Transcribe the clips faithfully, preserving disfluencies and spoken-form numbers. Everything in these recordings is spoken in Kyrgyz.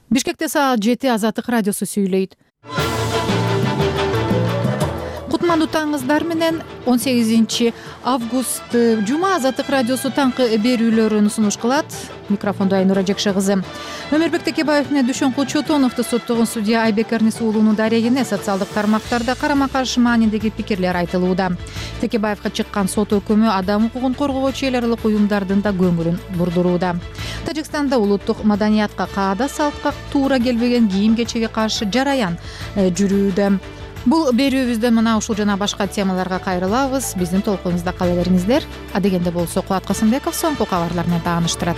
Бишкекте саат жети Азаттык радиосу сүйлөйт. Кутмандуу таңыңыздар менен он сегизинчи август жума Азаттык радиосу таңкы берүүлөрүн сунуш кылат. Микрофондо Айнура Жекше кызы. Өмүрбек Текебаев менен Дүшөнкул Чотоновду соттогон судья Айбек Эрнис уулунун дарегине социалдык тармактарда карама-каршы маанидеги пикирлер айтылууда. Текебаевга чыккан сот өкүмү адам укугун коргоочу эл аралык уюмдардын да көңүлүн бурдурууда. Тажикстанда улуттук маданиятка, каада салтка туура келбеген кийим кечеге каршы жараян жүрүүдө. Бул берүүбүздө мына ушул жана башка темаларга кайрылабыз. Биздин толкунубузда кала бериңиздер. Адегенде болсо Кубат Касымбеков соңку кабарлар менен тааныштырат.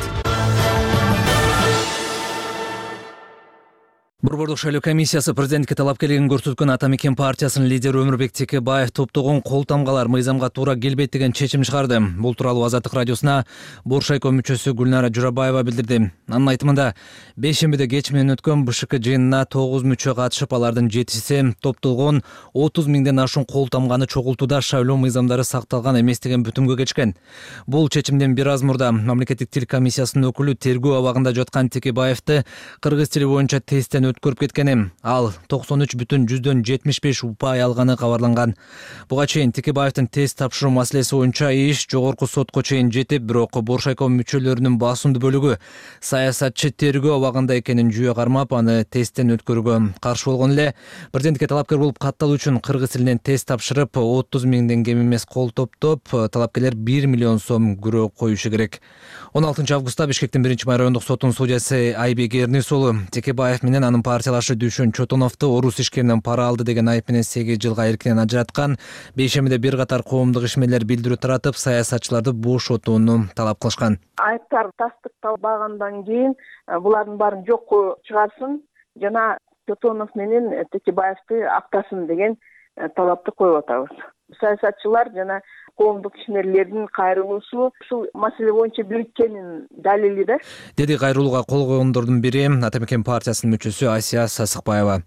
Борбордук шайлоо комиссиясы президентке талапкерлигин көрсөткөн Ата Мекен партиясынын лидери Өмүрбек Текебаев топтогон кол тамгалар мыйзамга туура келбейт деген чечим чыгарды. Бул тууралуу Азаттык радиосуна Боршайко мүчөсү Гүлнара Журабаева билдирди. Анын айтымында, бейшембиде кеч менен өткөн БШК жыйынына тогуз мүчө катышып, алардын жетиси топтолгон отуз миңден ашуун кол тамганы чогултууда шайлоо мыйзамдары сакталган эмес деген бүтүмгө келишкен. Бул чечимден бир аз мурда мамлекеттик тил комиссиясынын өкүлү тергөө абагында жаткан Текебаевди кыргыз тили боюнча тесттен өткөрүп кеткени, ал токсон үч бүтүн жүздөн жетимиш беш упай алганы кабарланган. Буга чейин Текебаевдин тест тапшыруу маселеси боюнча иш жогорку сотко чейин жетип, бирок Боршайко мүчөлөрүнүн басымдуу бөлүгү саясатчы тергөө абагында экенин жүйө кармап, аны тесттен өткөрүүгө каршы болгон эле. Президентке талапкер болуп катталуу үчүн кыргыз тилинен тест тапшырып, отуз миңден кем эмес кол топтоп, талапкерлер бир миллион сом күрөө коюшу керек. он алтынчы августта Бишкектин биринчи май райондук сотунун судьясы Айбек Эрнис уулу Текебаев менен анын партиялашы Дүшөн Чотоновду орус ишкеринен пара алды деген айып менен сегиз жылга эркинен ажыраткан. Бейшембиде бир катар коомдук ишмерлер билдирүү таратып, саясатчыларды бошотууну талап кылышкан. Айыптар тастыкталбагандан кийин булардын баарын жокко чыгарсын жана Чотонов менен Текебаевди актасын деген талапты коюп атабыз. Саясатчылар жана коомдук ишмерлердин кайрылуусу ушул маселе боюнча бириккенин далили да, деди кайрылууга кол койгондордун бири Ата Мекен партиясынын мүчөсү Асия Сасыкбаева.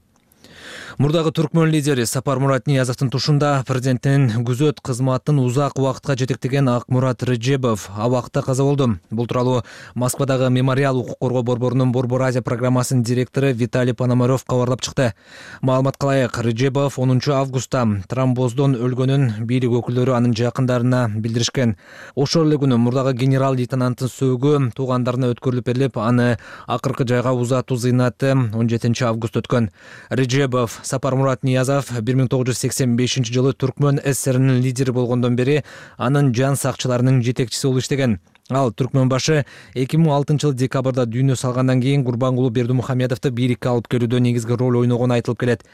Мурдагы түркмөн лидери Сапармурат Ниязовдун тушунда президенттин күзөт кызматын узак убакытка жетектеген Акмурат Рыжебов абакта каза болду. Бул тууралуу Москвадагы Мемориал укук коргоо борборунун Борбор Азия программасынын директору Виталий Пономарев кабарлап чыкты. Маалыматка ылайык, Рыжебов онунчу августта тромбоздон өлгөнүн бийлик өкүлдөрү анын жакындарына билдиришкен. Ошол эле күнү мурдагы генерал-лейтенанттын сөөгү туугандарына өткөрүлүп берилип, аны акыркы жайга узатуу зыйнаты он жетинчи август өткөн. Рыжебов Сапармурат Ниязов бир миң тогуз жүз сексен бешинчи жылы Түркмөн ССРинин лидери болгондон бери анын жан сакчыларынын жетекчиси болуп иштеген. Ал Түркмөн башы эки миң алтынчы жылы декабрда дүйнө салгандан кийин Курбангулу Бердимухамедовду бийликке алып келүүдө негизги роль ойногону айтылып келет.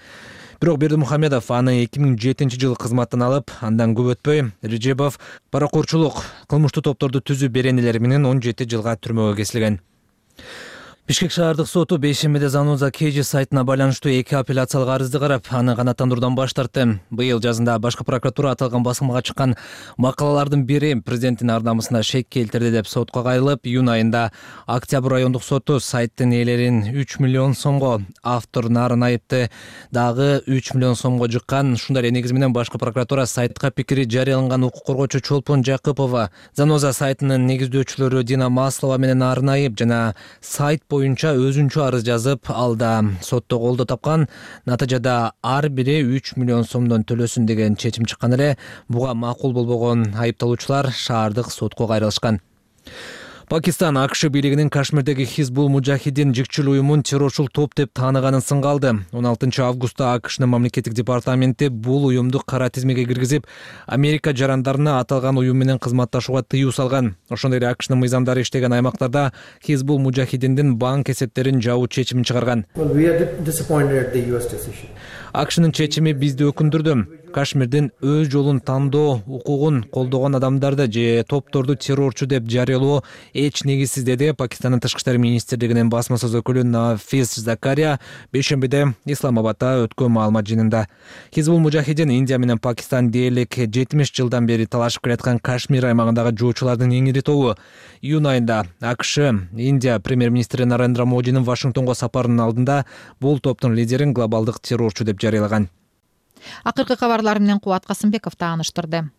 Бирок Бердимухамедов аны эки миң жетинчи жылы кызматтан алып, андан көп өтпөй Рыжебов паракорчулук, кылмыштуу топторду түзүү беренелери менен он жети жылга түрмөгө кесилген. Бишкек шаардык соту бейшембиде Заноза Кежи сайтына байланыштуу эки апелляциялык арызды карап, аны канааттандыруудан баш тартты. Быйыл жазында башкы прокуратура аталган басылмага чыккан макалалардын бири президенттин ар намысына шек келтирди деп сотко кайрылып, июнь айында Октябрь райондук соту сайттын ээлерин үч миллион сомго, автор Нарын Айыпты дагы үч миллион сомго жыккан. Ушундай эле негиз менен башкы прокуратура сайтка пикири жарыяланган укук коргоочу Чолпон Жакыпова, Заноза сайтынын негиздөөчүлөрү Дина Маслова менен Нарын Айып жана сайт боюнча өзүнчө арыз жазып, алда сотто колдоо тапкан. Натыйжада ар бири үч миллион сомдон төлөсүн деген чечим чыккан эле. Буга макул болбогон айыпталуучулар шаардык сотко кайрылышкан. Пакистан АКШ бийлигинин Кашмирдеги Хизбул Мужахидин жикчил уюмун террорчул топ деп тааныганын сынга алды. он алтынчы августта АКШнын мамлекеттик департаменти бул уюмду кара тизмеге киргизип, Америка жарандарына аталган уюм менен кызматташууга тыюу салган. Ошондой эле АКШнын мыйзамдары иштеген аймактарда Хизбул Мужахидиндин банк эсептерин жабуу чечимин чыгарган. АКШнын чечими бизди өкүндүрдү. Кашмирдин өз жолун тандоо укугун колдогон адамдарды же топторду террорчу деп жарыялоо эч негизсиз, деди Пакистандын тышкы иштер министрлигинин басма сөз өкүлү Нафис Закария бейшембиде Исламабадда өткөн маалымат жыйынында. Хизбул Мужахидин Индия менен Пакистан дээрлик жетимиш жылдан бери талашып келаткан Кашмир аймагындагы жоочулардын эң ири тобу. Июнь айында АКШ Индия премьер-министри Нарендра Модинин Вашингтонго сапарынын алдында бул топтун лидерин глобалдык террорчу деп жарыялаган. Акыркы кабарлар менен Кубат Касымбеков тааныштырды.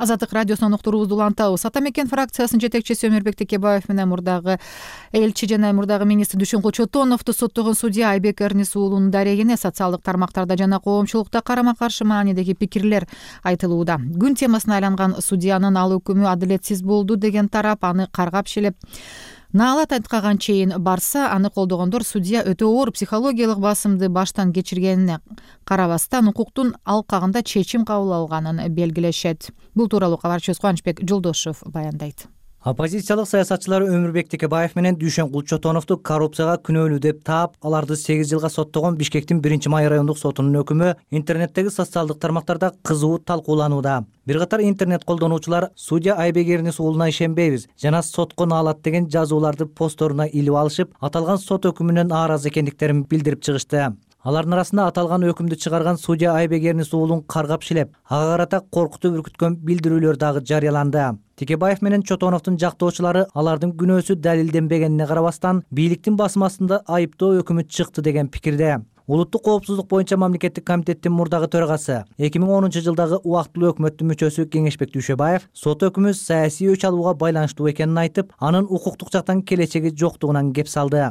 Азаттык радиосунан уктуруубузду улантабыз. Ата мекен фракциясынын жетекчиси Өмүрбек Текебаев менен мурдагы элчи жана мурдагы министр Дүйшөнкул Чотоновду соттогон судья Айбек Эрнис уулунун дарегине социалдык тармактарда жана коомчулукта карама каршы маанидеги пикирлер айтылууда. Күн темасына айланган судьянын ал өкүмү адилетсиз болду деген тарап аны каргап шилеп наалат айтканга чейин барса, аны колдогондор судья өтө оор психологиялык басымды баштан кечиргенине карабастан укуктун алкагында чечим кабыл алганын белгилешет. Бул тууралуу кабарчыбыз Кубанычбек Жолдошев баяндайт. Оппозициялык саясатчылар Өмүрбек Текебаев менен Дүйшөнкул Чотоновду коррупцияга күнөөлүү деп таап, аларды сегиз жылга соттогон Бишкектин биринчи май райондук сотунун өкүмү интернеттеги социалдык тармактарда кызуу талкууланууда. Бир катар интернет колдонуучулар судья Айбек Эрнис уулуна ишенбейбиз жана сотко наалат деген жазууларды посторуна илип алышып, аталган сот өкүмүнөн нааразы экендиктерин билдирип чыгышты. Алардын арасында аталган өкүмдү чыгарган судья Айбек Эрнис уулун каргап шилеп, ага карата коркутуп үркүткөн билдирүүлөр дагы жарыяланды. Текебаев менен Чотоновдун жактоочулары алардын күнөөсү далилденбегенине карабастан, бийликтин басым астында айыптоо өкүмү чыкты деген пикирде. Улуттук коопсуздук боюнча мамлекеттик комитеттин мурдагы төрагасы, эки миң онунчу жылдагы убактылуу өкмөттүн мүчөсү Кеңешбек Дүйшөбаев сот өкүмү саясий өч алууга байланыштуу экенин айтып, анын укуктук жактан келечеги жоктугунан кеп салды.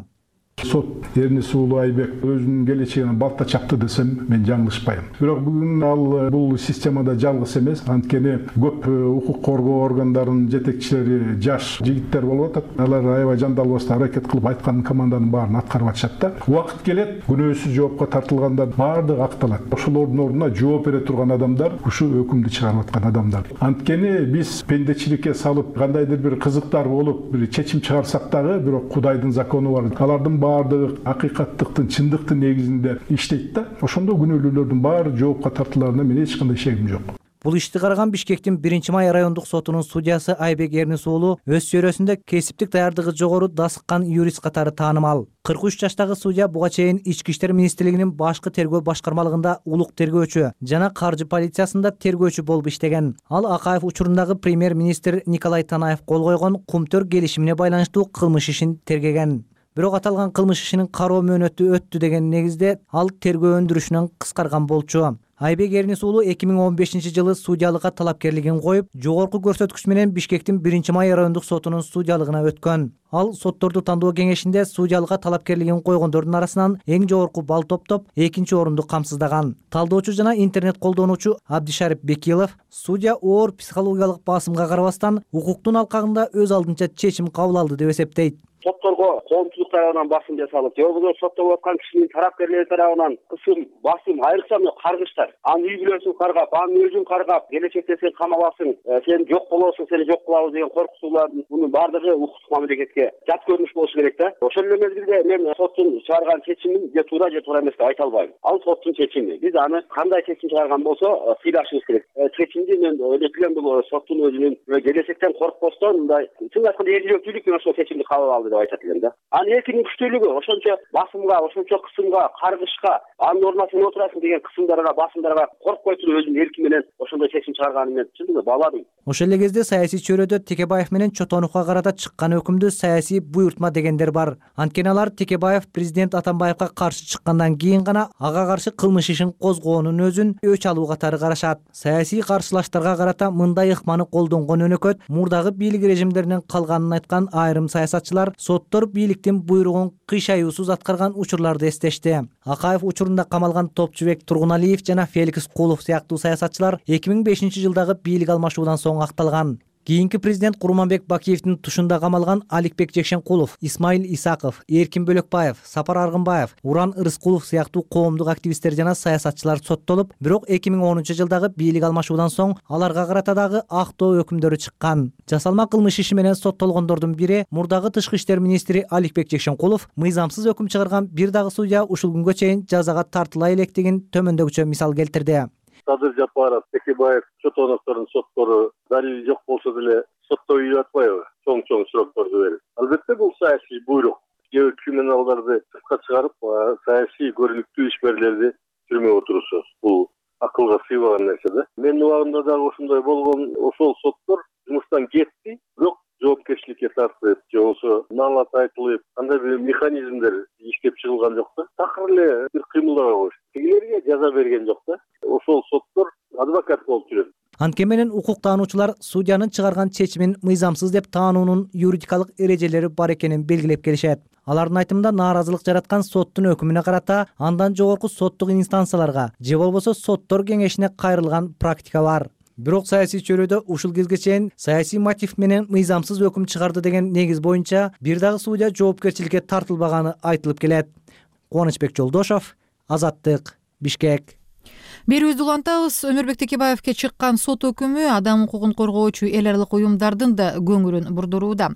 Сот Эрнис уулу Айбек өзүнүн келечегине балта чапты десем, мен жаңылышпайм. Бирок бүгүн ал бул системада жалгыз эмес, анткени көп укук коргоо органдарынын жетекчилери жаш жигиттер болуп атат. Алар аябай жандалбастан аракет кылып айткан команданын баарын аткарып атышат да. Убакыт келет, күнөөсүз жоопко тартылгандар баардыгы акталат. Ошолордун ордуна жооп бере турган адамдар ушу өкүмдү чыгарып аткан адамдар. Анткени биз пендечиликке салып, кандайдыр бир кызыктар болуп, бир чечим чыгарсак дагы, бирок Кудайдын закону бар. Алардын баардыгы акыйкаттыктын, чындыктын негизинде иштейт да. Ошондо күнөөлүүлөрдүн баары жоопко тартыларына мен эч кандай шегим жок. Бул ишти караган Бишкектин биринчи май райондук сотунун судьясы Айбек Эрнис уулу өз чөйрөсүндө кесиптик даярдыгы жогору дасыккан юрист катары таанымал. кырк үч жаштагы судья буга чейин Ички иштер министрлигинин башкы тергөө башкармалыгында улук тергөөчү жана каржы полициясында тергөөчү болуп иштеген. Ал Акаев учурундагы премьер-министр Николай Танаев кол койгон Кумтөр келишимине байланыштуу кылмыш ишин тергеген. Бирок аталган кылмыш ишинин кароо мөөнөтү өттү деген негизде ал тергөө өндүрүшүнөн кыскарган болчу. Айбек Эрнис уулу эки миң он бешинчи жылы судьялыкка талапкерлигин коюп, жогорку көрсөткүч менен Бишкектин биринчи май райондук сотунун судьялыгына өткөн. Ал сотторду тандоо кеңешинде судьялыкка талапкерлигин койгондордун арасынан эң жогорку балл топтоп, экинчи орунду камсыздаган. Талдоочу жана интернет колдонуучу Абдишарип Бекилов судья оор психологиялык басымга карабастан, укуктун алкагында өз алдынча чечим кабыл алды деп эсептейт. Сотторго коомчулук тарабынан басым жасалып, же болбосо соттолуп аткан кишинин тарапкерлери тарабынан кысым, басым, айрыкча мына каргыштар. Анын үй бүлөсүн каргап, анын өзүн каргап, келечекте сен камаласың, сен жок болосуң, сени жок кылабыз деген коркутуулардын мунун баардыгы укуктук мамлекетке жат көрүнүш болушу керек да. Ошол эле мезгилде мен соттун чыгарган чечимин же туура же туура эмес деп айта албайм. Ал соттун чечими. Биз аны кандай чечим чыгарган болсо сыйлашыбыз керек. Чечимди мен ойлойт элем бул соттун өзүнүн келечектен коркпостон мындай чын айтканда эжилөөчүлүк менен ошол чечимди кабыл алды деп айтат элем да. Анын эркинин күчтүүлүгү ошончо басымга, ошончо кысымга, каргышка, анын ордуна сен отурасың деген кысымдарга, басымдарга коркпой туруп өзүнүн эрки менен ошондой чечим чыгарганын мен чындыгы бааладым. Ошол эле кезде саясий чөйрөдө Текебаев менен Чотоновго карата чыккан өкүмдү саясий буйртма дегендер бар. Анткени алар Текебаев президент Атамбаевга каршы чыккандан кийин гана ага каршы кылмыш ишин козгоонун өзүн өч алуу катары карашат. Саясий каршылаштарга карата мындай ыкманы колдонгон өнөкөт мурдагы бийлик режимдеринен калганын айткан айрым саясатчылар соттор бийликтин буйругун кыйшаюусуз аткарган учурларды эстешти. Акаев учурунда камалган Топчубек Тургуналиев жана Феликс Кулов сыяктуу саясатчылар эки миң бешинчи жылдагы бийлик алмашуудан соң акталган. Кийинки президент Курманбек Бакиевдин тушунда камалган Аликбек Жекшенкулов, Исмаил Исаков, Эркин Бөлөкбаев, Сапар Аргынбаев, Уран Ырыскулов сыяктуу коомдук активисттер жана саясатчылар соттолуп, бирок эки миң онунчу жылдагы бийлик алмашуудан соң аларга карата дагы актоо өкүмдөрү чыккан. Жасалма кылмыш иши менен соттолгондордун бири мурдагы тышкы иштер министри Аликбек Жекшенкулов мыйзамсыз өкүм чыгарган бир дагы судья ушул күнгө чейин жазага тартыла электигин төмөндөгүчө мисал келтирди. Садыр Жапаров, Текебаев, Чотоновдордун соттору далили жок болсо деле соттой үйүп атпайбы? Чоң-чоң сурактарды берип. Албетте бул саясий буйрук. Кээ бир криминалдарды сыртка чыгарып, саясий көрүнүктүү ишмерлерди түрмөгө отурусу. Бул акылга сыйбаган нерсе да. Менин убагымда дагы ошондой болгон, ошол соттор жумуштан кетти, бирок жоопкерчиликке тартылып, же болбосо наалат айтылып, кандай бир механизмдер иштеп чыгылган жок да. Такыр эле бир кыймылдабай коюшту. Тигилерге жаза берген жок да. Ошол соттор адвокат болуп жүрөт. Анткени менен укук таануучулар судьянын чыгарган чечимин мыйзамсыз деп таануунун юридикалык эрежелери бар экенин белгилеп келишет. Алардын айтымында нааразылык жараткан соттун өкүмүнө карата андан жогорку соттук инстанцияларга же болбосо соттор кеңешине кайрылган практика бар. Бирок саясий чөйрөдө ушул кезге чейин саясий мотив менен мыйзамсыз өкүм чыгарды деген негиз боюнча бир дагы судья жоопкерчиликке тартылбаганы айтылып келет. Кубанычбек Жолдошов, Азаттык, Бишкек. Берүүбүздү улантабыз. Өмүрбек Текебаевке чыккан сот өкүмү адам укугун коргоочу эл аралык уюмдардын да көңүлүн бурдурууда.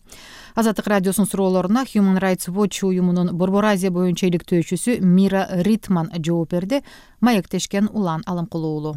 Азаттык радиосунун суроолоруна Human Rights Watch уюмунун Борбор Азия боюнча иликтөөчүсү Мира Ритман жооп берди. Маектешкен Улан Аламкулуу.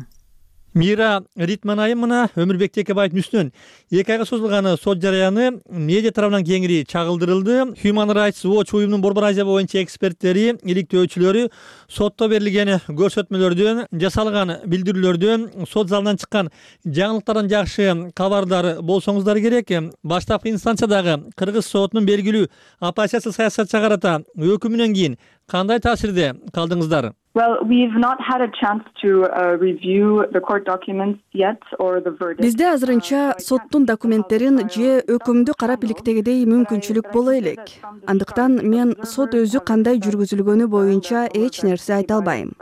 Мира Ритман айымына Өмүрбек Текебаевдин үстүнөн эки айга созулган сот жараяны медиа тарабынан кеңири чагылдырылды. Human Rights Watch уюмунун Борбор Азия боюнча эксперттери, иликтөөчүлөрү сотто берилген көрсөтмөлөрдөн, жасалган билдирүүлөрдөн, сот залынан чыккан жаңылыктардан жакшы кабардар болсоңуздар керек. Баштапкы инстанциядагы Кыргыз сотунун белгилүү оппозициялык саясатчыга карата өкүмүнөн кийин кандай таасирде калдыңыздар? Well, we've not had a chance to uh, review the court documents yet or the verdict. Бизде азырынча соттун документтерин же өкүмдү карап иликтегидей мүмкүнчүлүк боло элек. Андыктан мен сот өзү кандай жүргүзүлгөнү боюнча эч нерсе айта албайм.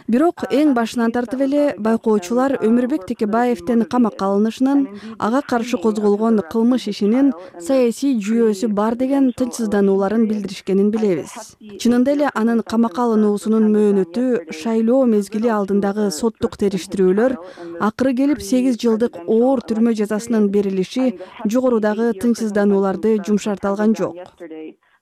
Бирок эң башынан тартып эле байкоочулар Өмүрбек Текебаевдин камакка алынышынын, ага каршы козголгон кылмыш ишинин саясий жүйөөсү бар деген тынчсызданууларын билдиришкенин билебиз. Чынында эле анын камакка алынуусунун мөөнөтү шайлоо мезгили алдындагы соттук териштирүүлөр, акыры келип сегиз жылдык оор түрмө жазасынын берилиши жогорудагы тынчсызданууларды жумшарта алган жок.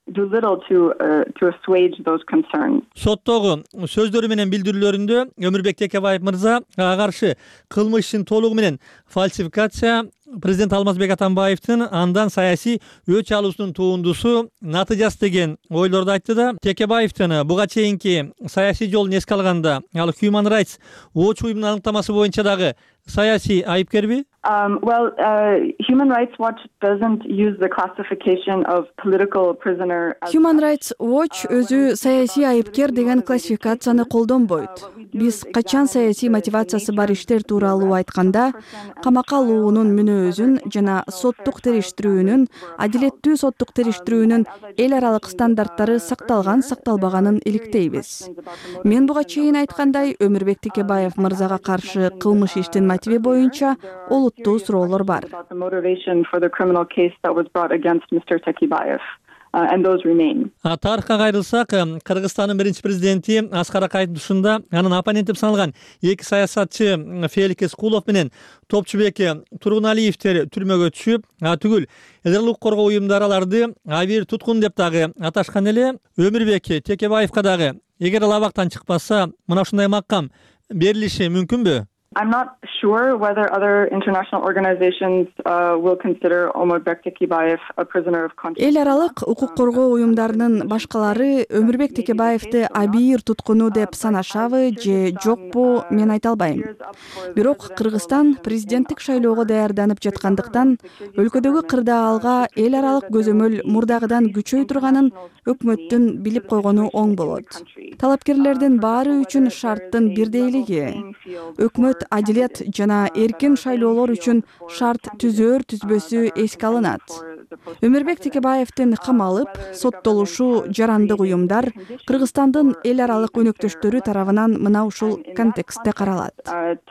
Do little to uh, to assuage those concerns. Соттогу сөздөрү менен билдирүүлөрүндө Өмүрбек Текебаев мырза ага каршы кылмыш ишин толугу менен фальсификация, президент Алмазбек Атамбаевдин андан саясий өч алуусунун туундусу натыйжасы деген ойлорду айтты да. Текебаевдин буга чейинки саясий жолун эске алганда, ал Human Rights Watch уюмунун аныктамасы боюнча дагы саясий айыпкерби? Um, well, uh, Human Rights Watch doesn't use the classification of political prisoner. Human Rights Watch өзү саясий айыпкер деген классификацияны колдонбойт. Биз качан саясий мотивациясы бар иштер тууралуу айтканда, камакка алуунун мүнөзүн жана соттук териштирүүнүн, адилеттүү соттук териштирүүнүн эл аралык стандарттары сакталган, сакталбаганын иликтейбиз. Мен буга чейин айткандай, Өмүрбек Текебаев мырзага каршы кылмыш иштин мотиви боюнча олуттуу суроолор бар. Uh, and those remain. Тарыхка кайрылсак, Кыргызстандын биринчи президенти Аскар Акаевдин тушунда анын оппоненти деп саналган эки саясатчы Фелик Эскулов менен Топчубек Тургуналиевдер түрмөгө түшүп, түгүл эл аралык коргоо уюмдары аларды абийир туткун деп дагы аташкан эле. Өмүрбек Текебаевка дагы эгер ал абактан чыкпаса, мына ушундай макам берилиши мүмкүнбү? I'm not sure whether other international organizations uh, will consider Өмүрбек Текебаев a prisoner of conscience. Эл аралык укук коргоо уюмдарынын башкалары Өмүрбек Текебаевди абийир туткуну деп санашабы же жокпу, мен айта албайм. Бирок Кыргызстан президенттик шайлоого даярданып жаткандыктан өлкөдөгү кырдаалга эл аралык көзөмөл мурдагыдан күчөй турганын өкмөттүн билип койгону оң болот. Талапкерлердин баары үчүн шарттын бирдейлиги, өкмөт адилет жана эркин шайлоолор үчүн шарт түзөр түзбөсү эске алынат. Өмүрбек Текебаевдин камалып, соттолушу жарандык уюмдар Кыргызстандын эл аралык өнөктөштөрү тарабынан мына ушул контекстте каралат.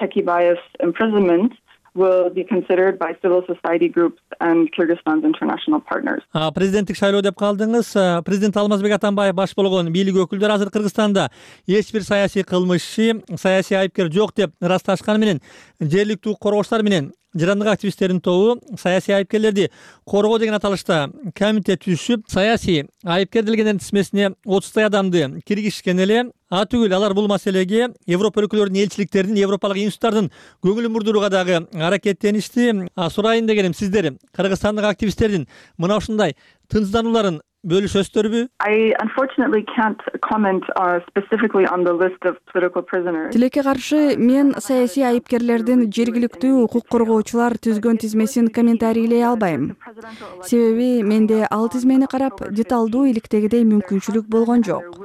Текебаев's imprisonment will be considered by civil society groups and Kyrgyzstan's international partners. Президенттик шайлоо деп калдыңыз. Президент Алмазбек Атамбаев баш болгон бийлик өкүлдөрү азыр Кыргызстанда эч бир саясий кылмышчы, саясий айыпкер жок деп ырасташканы менен жергиликтүү коргоочулар менен жарандык активисттердин тобу саясий айыпкерлерди коргоо деген аталышта комитет түзүп, саясий айыпкер делгендердин тизмесине отуздай адамды киргизишкен эле. А түгүл алар бул маселеге Европа өлкөлөрүнүн элчиликтердин, европалык институттардын көңүлүн бурдурууга дагы аракеттеништи. Сурайын дегеним, сиздер кыргызстандык активисттердин мына ушундай тынчсызданууларын бөлүшөсүздөрбү? I unfortunately can't comment uh, specifically on the list of political prisoners. Тилекке каршы мен саясий айыпкерлердин жергиликтүү укук коргоочулар түзгөн тизмесин комментарийлей албайм. Себеби менде ал тизмени карап деталдуу иликтегидей мүмкүнчүлүк болгон жок.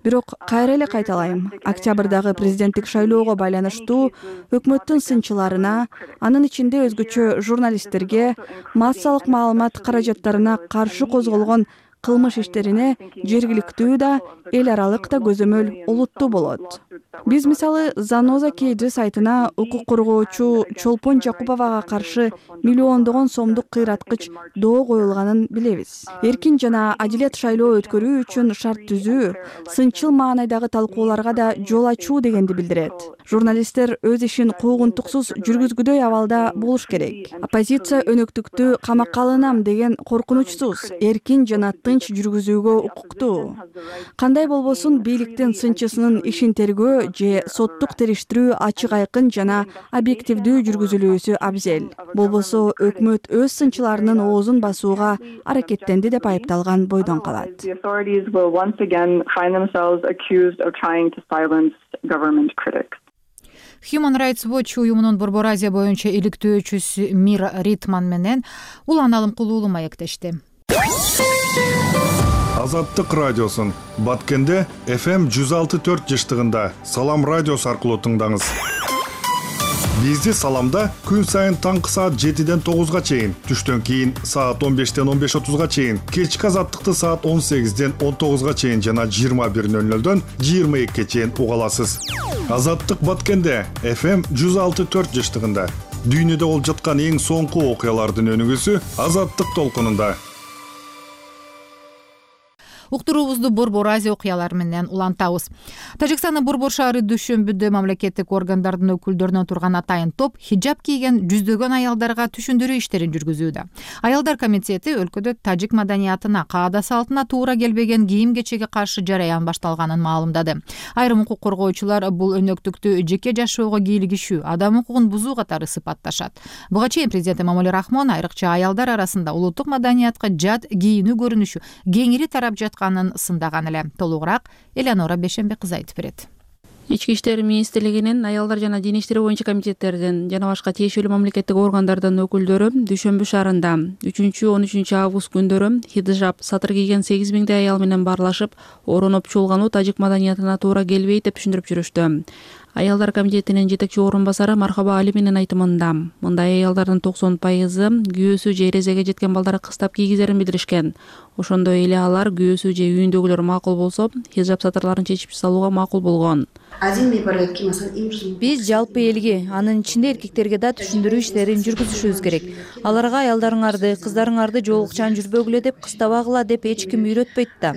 Бирок кайра эле кайталайм, октябрдагы президенттик шайлоого байланыштуу өкмөттүн сынчыларына, анын ичинде өзгөчө журналисттерге, массалык маалымат каражаттарына каршы козголгон кылмыш иштерине жергиликтүү да, эл аралык да көзөмөл олуттуу болот. Биз мисалы Заноза КЖ сайтына укук коргоочу Чолпон Жакуповага каршы миллиондогон сомдук кыйраткыч доо коюлганын билебиз. Эркин жана адилет шайлоо өткөрүү үчүн шарт түзүү, сынчыл маанайдагы талкууларга да жол ачуу дегенди билдирет. Журналисттер өз ишин куугунтуксуз жүргүзгүдөй абалда болуш керек. Оппозиция өнөктүктү камакка алынам деген коркунучсуз, эркин жана тынч жүргүзүүгө укуктуу. Кандай болбосун бийликтин сынчысынын ишин тергөө же соттук териштирүү ачык айкын жана объективдүү жүргүзүлүүсү абзел. Болбосо өкмөт өз сынчыларынын оозун басууга аракеттенди деп айыпталган бойдон калат. Human Rights Watch уюмунун Борбор Азия боюнча иликтөөчүсү Мир Ритман менен Улан Алымкулуу маектешти. Азаттык радиосун Баткенде эф эм жүз алты төрт жыштыгында Салам радиосу аркылуу тыңдаңыз. Бизди Саламда күн сайын таңкы саат жетиден тогузга чейин, түштөн кийин саат он бештен он беш отузга чейин, кечки Азаттыкты саат он сегизден он тогузга чейин жана жыйырма бир ноль нолдон жыйырма экиге чейин уга аласыз. Азаттык Баткенде эф эм жүз алты төрт жыштыгында дүйнөдө болуп жаткан эң соңку окуялардын өнүгүүсү Азаттык толкунунда. Уктуруубузду Борбор Азия окуялары менен улантабыз. Тажикстандын Борбор шаары дүйшөмбүдө мамлекеттик органдардын өкүлдөрүнөн турган атайын топ хиджаб кийген жүздөгөн аялдарга түшүндүрүү иштерин жүргүзүүдө. Аялдар комитети өлкөдө тажик маданиятына, каада салтына туура келбеген кийим-кечеге каршы жараян башталганын маалымдады. Айрым укук коргоочулар бул өнөктүктү жеке жашоого кийлигишүү, адам укугун бузуу катары сыпатташат. Буга чейин президент Эмомали Рахмон айрыкча аялдар арасында улуттук маданиятка жат кийинүү көрүнүшү кеңири тарап жатканын сындаган эле. Толугураак Элеонора Бешенбек кызы айтып берет. Ички иштер министрлигинин аялдар жана дин иштери боюнча комитеттердин жана башка тиешелүү мамлекеттик органдардын өкүлдөрү Дүйшөмбү шаарында үчүнчү он үчүнчү август күндөрү хиджаб сатыр кийген сегиз миңдей аял менен баарлашып, ороноп чуулгануу тажик маданиятына туура келбейт деп түшүндүрүп жүрүштү. Аялдар комитетинин жетекчи орун басары Мархаба Али менен айтымында мындай аялдардын токсон пайызы күйөөсү же эрезеге жеткен балдары кыстап кийгизерин билдиришкен. Ошондой эле алар күйөөсү же үйүндөгүлөр макул болсо, хиджаб сатырларын чечип салууга макул болгон. Биз жалпы элге, анын ичинде эркектерге да түшүндүрүү иштерин жүргүзүшүбүз керек. Аларга аялдарыңарды, кыздарыңарды жоолукчан жүрбөгүлө деп кыстабагыла деп эч ким үйрөтпөйт да.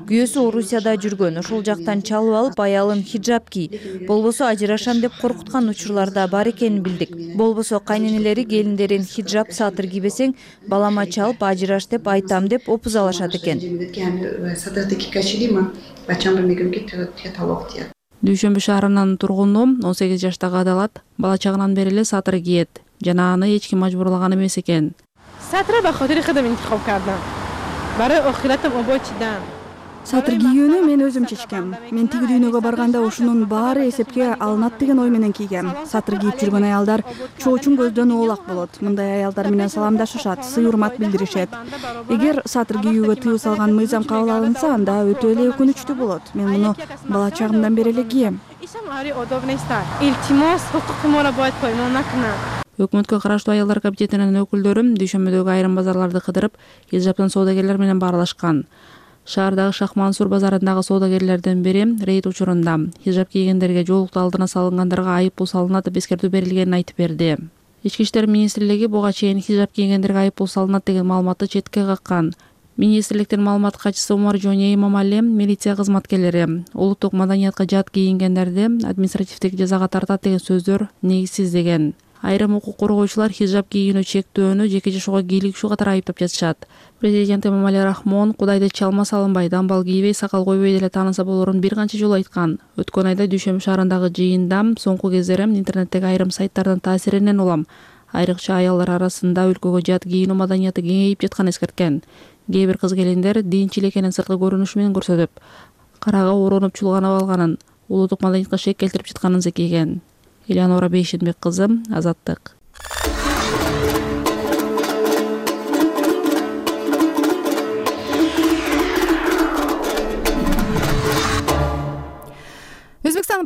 Күйөөсү Орусияда жүргөн, ошол жактан чалып алып аялын хиджаб кий, болбосо ажырашам деп коркуткан учурлар да бар экенин билдик. Болбосо кайненелери келиндерин хиджаб сатыр кийбесең, балама чалып ажыраш деп айтам деп опуз алышат экен. Дүйшөмбү шаарынын тургуну он сегиз жаштагы Адалат бала чагынан бери эле сатыр кийет жана аны эч ким мажбурлаган эмес экен. Сатыр кийүүнү мен өзүм чечкем. Мен тиги дүйнөгө барганда ушунун баары эсепке алынат деген ой менен кийгем. Сатыр кийип жүргөн аялдар чоочун көздөн оолак болот. Мындай аялдар менен саламдашышат, сый урмат билдиришет. Эгер сатыр кийүүгө тыюу салган мыйзам кабыл алынса, анда өтө эле өкүнүчтүү болот. Мен муну бала чагымдан бери эле кийем. Өкмөткө караштуу аялдар комитетинин өкүлдөрү Дүйшөмбүдөгү айрым базарларды кыдырып, хиджабтан соодагерлер менен баарлашкан. Шаардагы Шахмансур базарындагы соодагерлердин бири рейд учурунда хиджаб кийгендерге жоолукту алдына салынгандарга айыппул салынат деп эскертүү берилгенин айтып берди. Ички иштер министрлиги буга чейин хиджаб кийгендерге айыппул салынат деген маалыматты четке каккан. Министрликтин маалымат катчысы Умар Жоне Имамали милиция кызматкерлери улуттук маданиятка жат кийингендерди административдик жазага тартат деген сөздөр негизсиз деген. Айрым укук коргоочулар хиджаб кийүүнү чектөөнү жеке жашоого кийлигишүү катары айыптап жатышат. Президент Эмомали Рахмон Кудайды чалма салынбай, дамбал кийбей, сакал койбой деле тааныса болорун бир канча жолу айткан. Өткөн айда Дүйшөмбү шаарындагы жыйында соңку кездери интернеттеги айрым сайттардын таасиринен улам айрыкча аялдар арасында өлкөгө жат кийинүү маданияты кеңейип жатканын эскерткен. Кээ бир кыз келиндер динчил экенин сырткы көрүнүшү менен көрсөтүп, карага ороонуп чулганып алганын, улуттук маданиятка шек келтирип жатканын зекейген. Элеонора Бейшенбек кызы, Азаттык.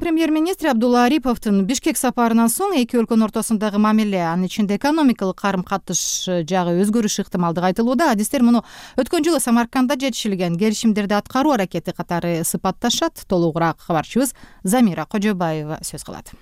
Өзбекстандын премьер-министри Абдулла Ариповдун Бишкек сапарынан соң эки өлкөнүн ортосундагы мамиле, анын ичинде экономикалык карым-катыш жагы өзгөрүшү ыктымалдыгы айтылууда. Адистер муну өткөн жылы Самаркандда жетишилген келишимдерди аткаруу аракети катары сыпатташат. Толугураак кабарчыбыз Замира Кожобаева сөз кылат.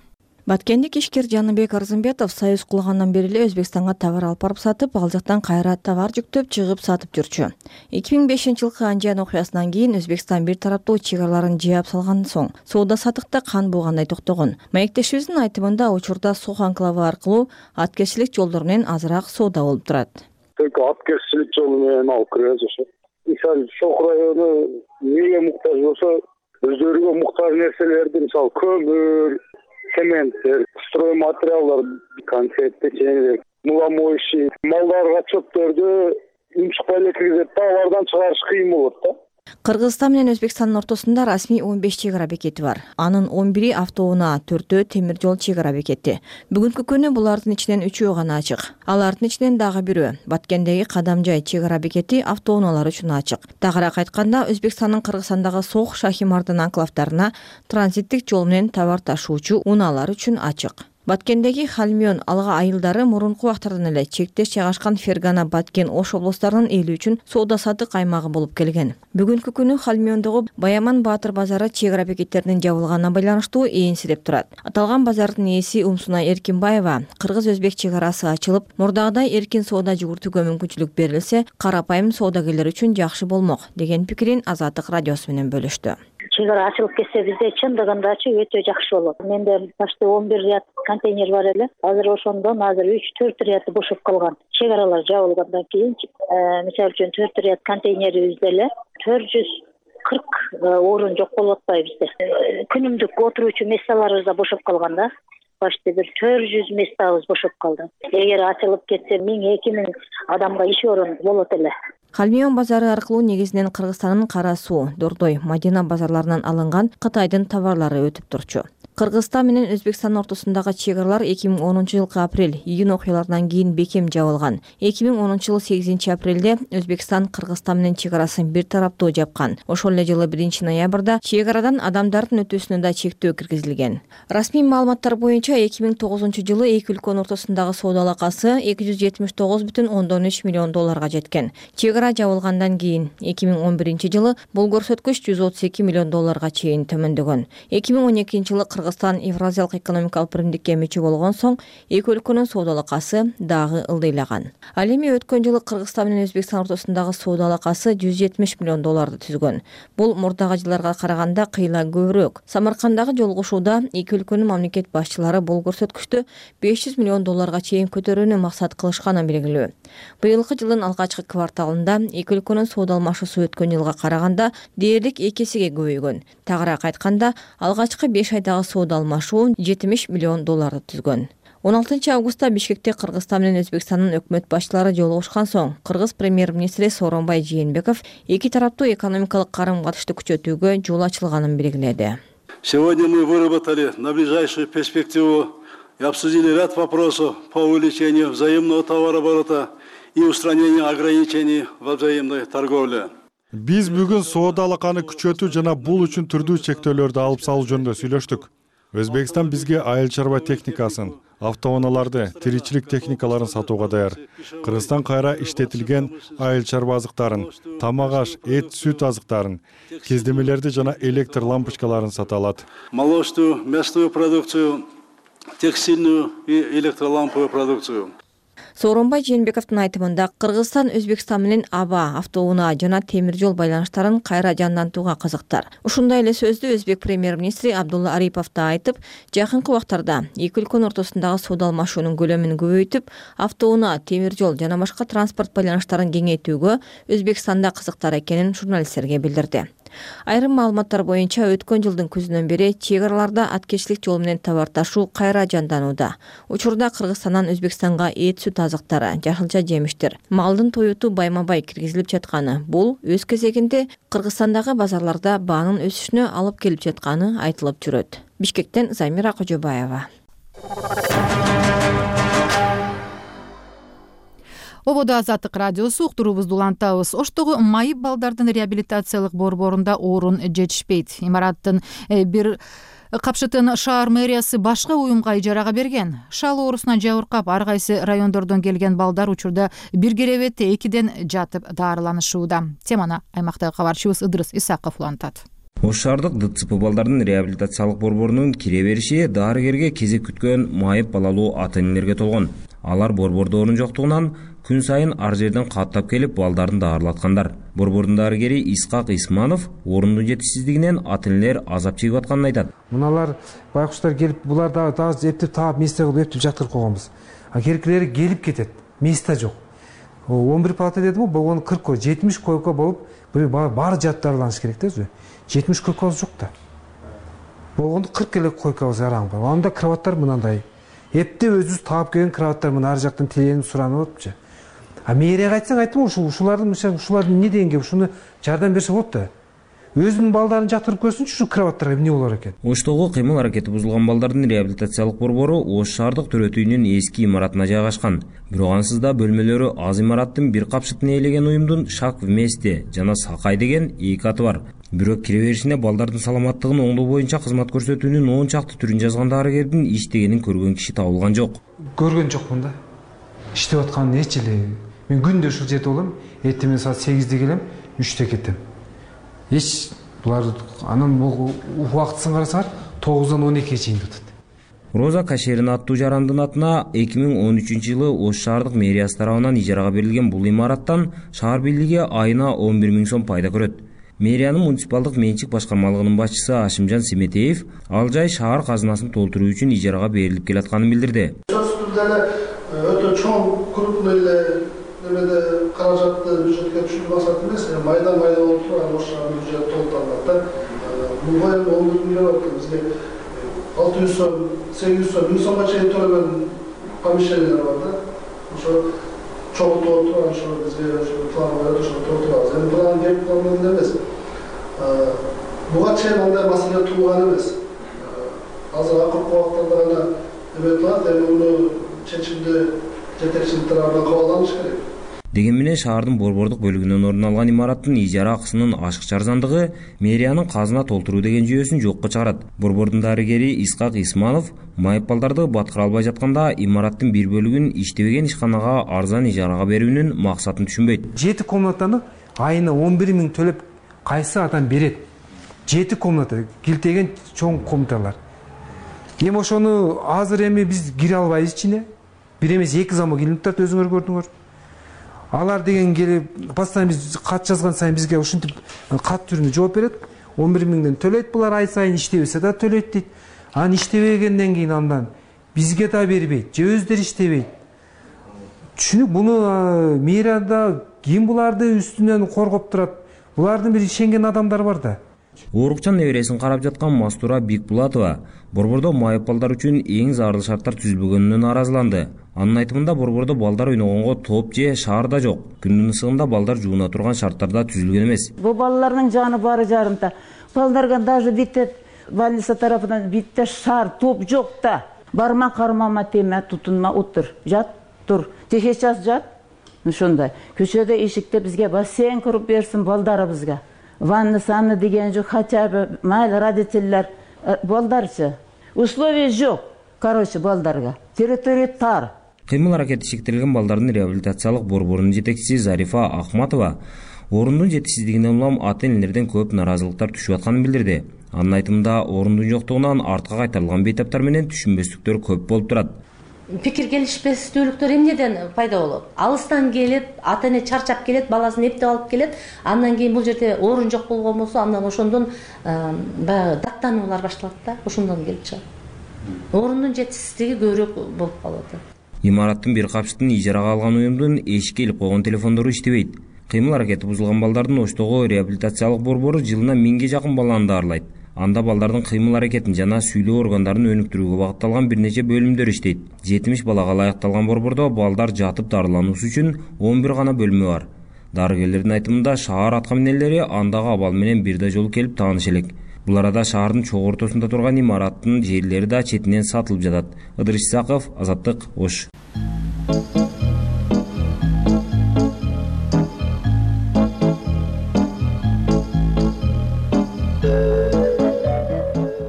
Баткендик ишкер Жаныбек Арзымбетов союз курулгандан бери эле Өзбекстанга товар алып барып сатып, ал жактан кайра товар жүктөп чыгып сатып жүрчү. эки миң бешинчи жылкы Анжан окуясынан кийин Өзбекстан бир тараптуу чек араларын жаап салгандан соң соода саттыкта кан буугандай токтогон. Маектешибиздин айтымында учурда Сох анклавы аркылуу аткерчилик жолдор менен азыраак соода болуп турат. Только аткерчилик жолу менен алып киребиз ошо. Мисалы Сох району эмнеге муктаж болсо, өздөрүгө муктаж нерселерди, мисалы көмүр, цементтер, стройматериалдар, конфет, печенье, муламоющий, малдарга чөптөрдү унчукпай эле киргизет да, алардан чыгарыш кыйын болот да. Кыргызстан менен Өзбекстандын ортосунда расмий он беш чек ара бекети бар. Анын он бири автоунаа, төртөө темир жол чек ара бекети. Бүгүнкү күнү булардын ичинен үчөө гана ачык. Алардын ичинен дагы бирөө Баткендеги Кадамжай чек ара бекети автоунаалар үчүн ачык. Тагыраак айтканда, Өзбекстандын Кыргызстандагы Сох, Шахимардын анклавдарына транзиттик жол менен товар ташуучу унаалар үчүн ачык. Баткендеги Халмион алга айылдары мурунку убактардан эле чектеш жайгашкан Фергана, Баткен, Ош облустарынын эли үчүн соода саттык аймагы болуп келген. Бүгүнкү күнү Халмиондогу Баяман Баатыр базары чек ара бекеттеринин жабылганына байланыштуу ээнсиреп турат. Аталган базардын ээси Умсуна Эркинбаева, кыргыз-өзбек чек арасы ачылып, мурдагыдай эркин соода жүгүртүүгө мүмкүнчүлүк берилсе, карапайым соодагерлер үчүн жакшы болмок деген пикирин Азаттык радиосу менен бөлүштү. Чек ара ачылып кетсе бизде чындыгындачы өтө жакшы болот. Менде почти он бир ряд контейнер бар эле. Азыр ошондон азыр үч төрт ряды бошоп калган. Чек аралар жабылгандан кийин, мисалы үчүн төрт ряд контейнерибизде эле төрт жүз кырк орун жок болуп атпайбы бизде. Күнүмдүк отуруучу месталарыбыз да бошоп калган да. Почти бир төрт жүз местабыз бошоп калды. Эгер ачылып кетсе миң эки миң адамга иш орун болот эле. Халмион базары аркылуу негизинен Кыргызстандын Кара Суу, Дордой, Мадина базарларынан алынган Кытайдын товарлары өтүп турчу. Кыргызстан менен Өзбекстандын ортосундагы чек аралар эки миң онунчу жылкы апрель июнь окуяларынан кийин бекем жабылган. эки миң онунчу жылы сегизинчи апрелде Өзбекстан Кыргызстан менен чек арасын бир тараптуу жапкан. Ошол эле жылы биринчи ноябрда чек арадан адамдардын өтүүсүнө да чектөө киргизилген. Расмий маалыматтар боюнча эки миң тогузунчу жылы эки өлкөнүн ортосундагы соода алакасы эки жүз жетимиш тогуз бүтүн ондон үч миллион долларга жеткен. Чек ара жабылгандан кийин эки миң он биринчи жылы бул көрсөткүч жүз отуз эки миллион долларга чейин төмөндөгөн. эки миң он экинчи жылы Кыргызстан Евразиялык экономикалык биримдикке мүчө болгон соң эки өлкөнүн соода алакасы дагы ылдыйлаган. Ал эми өткөн жылы Кыргызстан менен Өзбекстан ортосундагы соода алакасы жүз жетимиш миллион долларды түзгөн. Бул мурдагы жылдарга караганда кыйла көбүрөөк. Самаркандагы жолугушууда эки өлкөнүн мамлекет башчылары бул көрсөткүчтү беш жүз миллион долларга чейин көтөрүүнү максат кылышканы белгилүү. Быйылкы жылдын алгачкы кварталында эки өлкөнүн соода алмашуусу өткөн жылга караганда дээрлик эки эсеге көбөйгөн. Тагыраак айтканда, алгачкы беш айдагы соода алмашуу жетимиш миллион долларды түзгөн. он алтынчы августта Бишкекте Кыргызстан менен Өзбекстандын өкмөт башчылары жолугушкан соң Кыргыз премьер-министри Сооронбай Жээнбеков эки тараптуу экономикалык карым-катышты күчөтүүгө жол ачылганын белгиледи. Сегодня мы выработали на ближайшую перспективу и обсудили ряд вопросов по увеличению взаимного товарооборота и устранению ограничений во взаимной торговле. Биз бүгүн соода алаканы күчөтүү жана бул үчүн түрдүү чектөөлөрдү алып салуу жөнүндө сүйлөштүк. Өзбекстан бизге айыл чарба техникасын, автоунааларды, тиричилик техникаларын сатууга даяр. Кыргызстан кайра иштетилген айыл чарба азыктарын, тамак аш, эт, сүт азыктарын, кездемелерди жана электр лампочкаларын сата алат. Молочную, мясную продукцию, текстильную и электроламповую продукцию. Сооронбай Жээнбековдун айтымында Кыргызстан Өзбекстан менен аба, автоунаа жана темир жол байланыштарын кайра жандантууга кызыктар. Ушундай эле сөздү өзбек премьер-министри Абдулла Арипов да айтып, жакынкы убактарда эки өлкөнүн ортосундагы соода алмашуунун көлөмүн көбөйтүп, автоунаа, темир жол жана башка транспорт байланыштарын кеңейтүүгө Өзбекстанда кызыктар экенин журналисттерге билдирди. Айрым маалыматтар боюнча өткөн жылдын күзүнөн бери чек араларда аткерчилик жол менен товар ташуу кайра жанданууда. Учурда Кыргызстандан Өзбекстанга эт, сүт азыктары, жашылча жемиштер, малдын тоюту байма-бай киргизилип жатканы. Бул өз кезегинде Кыргызстандагы базарларда баанын өсүшүнө алып келип жатканы айтылып жүрөт. Бишкектен Замира Кожобаева. Ободо Азаттык радиосу, уктуруубузду улантабыз. Оштогу майып балдардын реабилитациялык борборунда орун жетишпейт. Имараттын бир Капшытын шаар мэриясы башка уюмга ижарага берген. Шал оорусуна жабыркап ар кайсы райондордон келген балдар учурда бир керебетте экиден жатып даарыланышууда. Теманы аймактагы кабарчыбыз Ыдырыс Исаков улантат. Ош шаардык ДЦП балдардын реабилитациялык борборунун кире бериши дарыгерге кезек күткөн майып балалуу ата-энелерге толгон. Алар борбордо орун жоктугунан күн сайын ар жерден каттап келип балдарын даарылаткандар. Борбордун дарыгери Исхак Исманов орундун жетишсиздигинен ата-энелер азап чегип атканын айтат. Муналар байкуштар келип, булар дагы дагы эптеп таап месте кылып эптеп жаткырып койгонбуз. А керекилери келип кетет. Месте жок. он бир палата дедим, болгону кырк койко, жетимиш койко болуп, баары жатып даарыланыш керек да өзү. жетимиш койкобуз жок да. Болгондо кырк эле койкобуз араң бар. Анда кроваттар мынандай. Эптеп өзүбүз таап келген кроваттар мына ар жактан теленип суранып атыпчы. А мэрияга айтсаң айтты, ушул ушулардын ушулардын эмне дегенге ушуну жардам берсе болот да. Өзүнүн балдарын жатырып көрсүнчү ушу кроваттарга эмне болор экен. Оштогу кыймыл аракети бузулган балдардын реабилитациялык борбору Ош шаардык төрөт үйүнүн эски имаратына жайгашкан. Бирок ансыз да бөлмөлөрү аз имараттын бир капшытын ээлеген уюмдун Шак вместе жана Сакай деген эки аты бар. Бирок кире беришине балдардын саламаттыгын оңдоо боюнча кызмат көрсөтүүнүн он чакты түрүн жазган дарыгердин иштегенин көргөн киши табылган жок. Көргөн жокмун да. Иштеп атканын эч эле. Мен күндө ушул жерде болом, эртең менен саат сегизде келем, үчтө кетем. Эч булар анан бул убактысын карасаңар тогуздан он экиге чейин өтөт. Роза Кашерин аттуу жарандын атына эки миң он үчүнчү жылы Ош шаардык мэриясы тарабынан ижарага берилген бул имараттан шаар бийлиги айына он бир миң сом пайда көрөт. Мэриянын муниципалдык менчик башкармалыгынын башчысы Ашимжан Семетеев ал жай шаар казынасын толтуруу үчүн ижарага берилип келатканын билдирди. Өтө чоң крупный эле немеде каражатты бюджетке түшүрүү максаты эмес, майдан майдан болуп турган Ош шаарынын бюджети толтурулат да. Бул боюнча он бир миллион бизге алты жүз сом, сегиз жүз сом, миң сомго чейин төлөгөн помещениялар бар да. Ошо чогултуп турган ошо бизге ошо план коюп ошо толтурабыз. Эми план кеп план эмес. Буга чейин андай маселе туулган эмес. Азыр акыркы убактарда гана эме кылат, эми муну чечимди жетекчилик тарабынан кабылданыш керек. Деген менен шаардын борбордук бөлүгүнөн орун алган имараттын ижара акысынын ашыкча арзандыгы мэриянын казына толтуруу деген жүйөсүн жокко чыгарат. Борбордун дарыгери Исхак Исманов майып балдарды баткыра албай жатканда имараттын бир бөлүгүн иштебеген ишканага арзан ижарага берүүнүн максатын түшүнбөйт. Жети комнатаны айына он бир миң төлөп кайсы адам берет? Жети комната, килтеген чоң комнаталар. Эми ошону азыр эми биз кире албайбыз ичине. Бир эмес эки замок илинип турат, өзүңөр көрдүңөр. Алар деген келип, постоянно биз кат жазган сайын бизге ушинтип кат түрүндө жооп берет. он бир миңден төлөйт булар, ай сайын иштебесе да төлөйт дейт. Анан иштебегенден кийин андан бизге да бербейт, же өздөрү иштебейт. Түшүнүк, буну мэрияда ким буларды үстүнөн коргоп турат? Булардын бир ишенген адамдар бар да. Оорукчан небересин карап жаткан Мастура Бикбулатова борбордо майып балдар үчүн эң зарыл шарттар түзүлбөгөнүнөн нааразыланды. Анын айтымында борбордо балдар ойногонго топ же шаарда жок. Күндүн ысыгында балдар жууна турган шарттарда түзүлгөн эмес. Бул балдардын жаны баары жарымта. Балдарга даже битте больница тарафынан битте шаар топ жок да. Барма кармама теме, тутунма, отур. Жат, тур. Сейчас жат. Ошондой. Көчөдө эшикте бизге бассейн куруп берсин балдарыбызга. Ванна санны деген жок, хотя бы майыл родительler балдарчы. Условий жок, короче, балдарга. Территория тар. Кыймыл аракети шектелген балдардын реабилитациялык борборунун жетекчиси Зарифа Ахматова орундун жетишсиздигинен улам ата-энелерден көп наразылыктар түшүп атканын билдирди. Анын айтымында орундун жоктугунан артка кайтарылган бейтаптар менен түшүнбөстүктөр көп болуп турат. Пикир келишпестүүлүктөр эмнеден пайда болот? Алыстан келип, ата-эне чарчап келет, баласын эптеп алып келет. Андан кийин бул жерде орун жок болгон болсо, андан ошондон баягы даттануулар башталат да, ошондон келип чыгат. Орундун жетишсиздиги көбүрөөк болуп калат. Имараттын бир капшытын ижарага алган уюмдун эшикке илип койгон телефондору иштебейт. Кыймыл аракети бузулган балдардын Оштогу реабилитациялык борбору жылына миңге жакын баланы даарылайт. Анда балдардын кыймыл аракетин жана сүйлөө органдарын өнүктүрүүгө багытталган бир нече бөлүмдөр иштейт. жетимиш балага ылайыкталган борбордо балдар жатып дарылануусу үчүн он бир гана бөлмө бар. Дарыгерлердин айтымында шаар аткаминерлери андагы абал менен бир да жолу келип тааныш элек. Бул арада шаардын чогуу ортосунда турган имараттын жерлери да четинен сатылып жатат. Ыдырыс Исаков, Азаттык, Ош.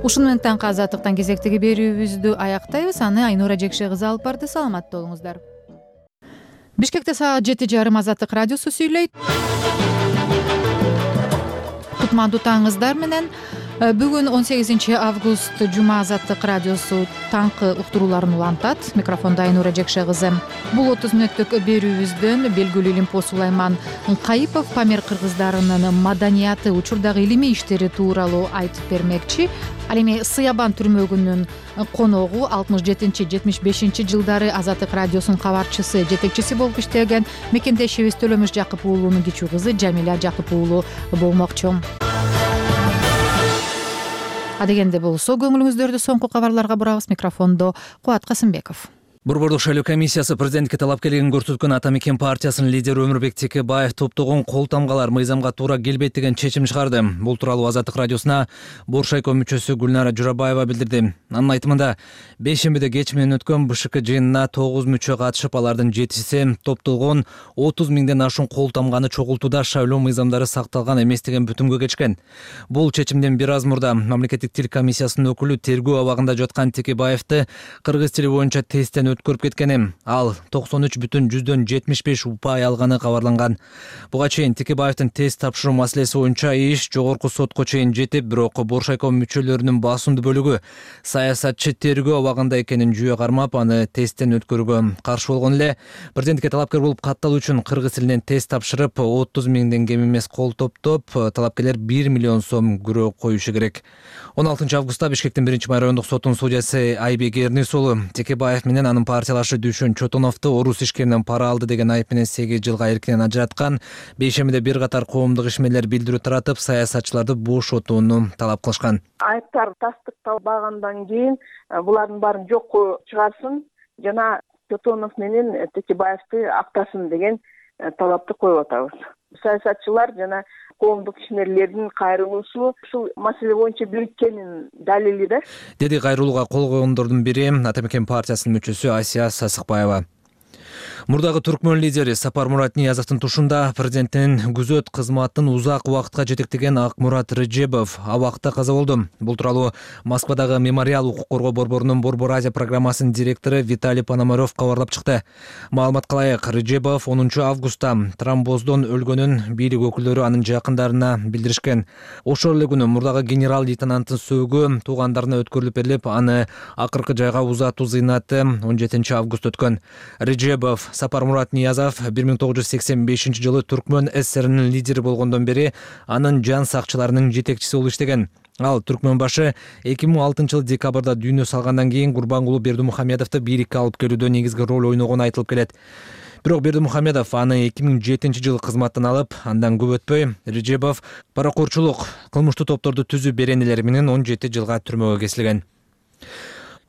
ушуну менен таңкы азаттыктан кезектеги берүүбүздү аяктайбыз. Аны Айнура Жекше кызы алып барды. Саламатта болуңуздар. Бишкекте саат жети жарым Азаттык радиосу сүйлөйт. Кутмандуу таңыңыздар менен. Бүгүн он сегизинчи август жума Азаттык радиосу таңкы уктурууларын улантат. Микрофондо Айнура Жекше кызы. Бул отуз мүнөттүк берүүбүздөн белгилүү Илимпоз Сулайман Кайыпов Памир кыргыздарынын маданияты, учурдагы илимий иштери тууралуу айтып бермекчи. Ал эми Сыябан түрмөгүнүн коногу алтымыш жетинчи жетимиш бешинчи жылдары Азаттык радиосунун кабарчысы, жетекчиси болуп иштеген мекендешибиз Төлөмүш Жакып уулунун кичүү кызы Жамиля Жакып уулу болмокчу. Адегенде болсо көңүлүңүздөрдү соңку кабарларга бурабыз. Микрофондо Кубат Касымбеков. Борбордук шайлоо комиссиясы президентке талапкерлигин көрсөткөн Ата Мекен партиясынын лидери Өмүрбек Текебаев топтогон кол тамгалар мыйзамга туура келбейт деген чечим чыгарды. Бул тууралуу Азаттык радиосуна Боршайком мүчөсү Гүлнара Журабаева билдирди. Анын айтымында бейшембиде кеч менен өткөн БШК жыйынына тогуз мүчө катышып, алардын жетиси топтолгон отуз миңден ашуун кол тамганы чогултууда шайлоо мыйзамдары сакталган эмес деген бүтүмгө келишкен. Бул чечимден бир аз мурда мамлекеттик тил комиссиясынын өкүлү тергөө абагында жаткан Текебаевди кыргыз тили боюнча тесттен өткөрүп кеткени, ал токсон үч бүтүн жүздөн жетимиш беш упай алганы кабарланган. Буга чейин Текебаевдин тест тапшыруу маселеси боюнча иш жогорку сотко чейин жетип, бирок Боршайком мүчөлөрүнүн басымдуу бөлүгү саясатчы тергөө абагында экенин жүйө кармап, аны тесттен өткөрүүгө каршы болгон эле. Президентке талапкер болуп катталуу үчүн кыргыз тилинен тест тапшырып, отуз миңден кем эмес кол топтоп, талапкерлер бир миллион сом күрөө коюшу керек. он алтынчы августта Бишкектин биринчи май райондук сотунун судьясы Айбек Эрнис уулу Текебаев менен анын партиялашы Дүйшөн Чотоновду орус ишкеринен пара алды деген айып менен сегиз жылга эркинен ажыраткан. Бейшембиде бир катар коомдук ишмерлер билдирүү таратып, саясатчыларды бошотууну талап кылышкан. Айыптар тастыкталбагандан кийин булардын баарын жокко чыгарсын жана Чотонов менен Текебаевди актасын деген талапты коюп атабыз. Саясатчылар жана коомдук ишмерлердин кайрылуусу ушул маселе боюнча бириккенин далили да, деди кайрылууга кол койгондордун бири Ата Мекен партиясынын мүчөсү Асия Сасыкбаева. Мурдагы түркмөн лидери Сапармурат Ниязовдун тушунда президенттин күзөт кызматын узак убакытка жетектеген Акмурат Рыжебов абакта каза болду. Бул тууралуу Москвадагы Мемориал укук коргоо борборунун Борбор Азия программасынын директору Виталий Пономарев кабарлап чыкты. Маалыматка ылайык, Рыжебов онунчу августта тромбоздон өлгөнүн бийлик өкүлдөрү анын жакындарына билдиришкен. Ошол эле күнү мурдагы генерал-лейтенанттын сөөгү туугандарына өткөрүлүп берилип, аны акыркы жайга узатуу зыйнаты он жетинчи август өткөн. Рыжебов Сапармурат Ниязов бир миң тогуз жүз сексен бешинчи жылы Түркмөн ССРинин лидери болгондон бери анын жан сакчыларынын жетекчиси болуп иштеген. Ал түркмөн башы эки миң алтынчы жылы декабрда дүйнө салгандан кийин Курбангулу Бердимухамедовду бийликке алып келүүдө негизги роль ойногону айтылып келет. Бирок Бердимухамедов аны эки миң жетинчи жылы кызматтан алып, андан көп өтпөй Рыжебов паракорчулук, кылмыштуу топторду түзүү беренелери менен он жети жылга түрмөгө кесилген.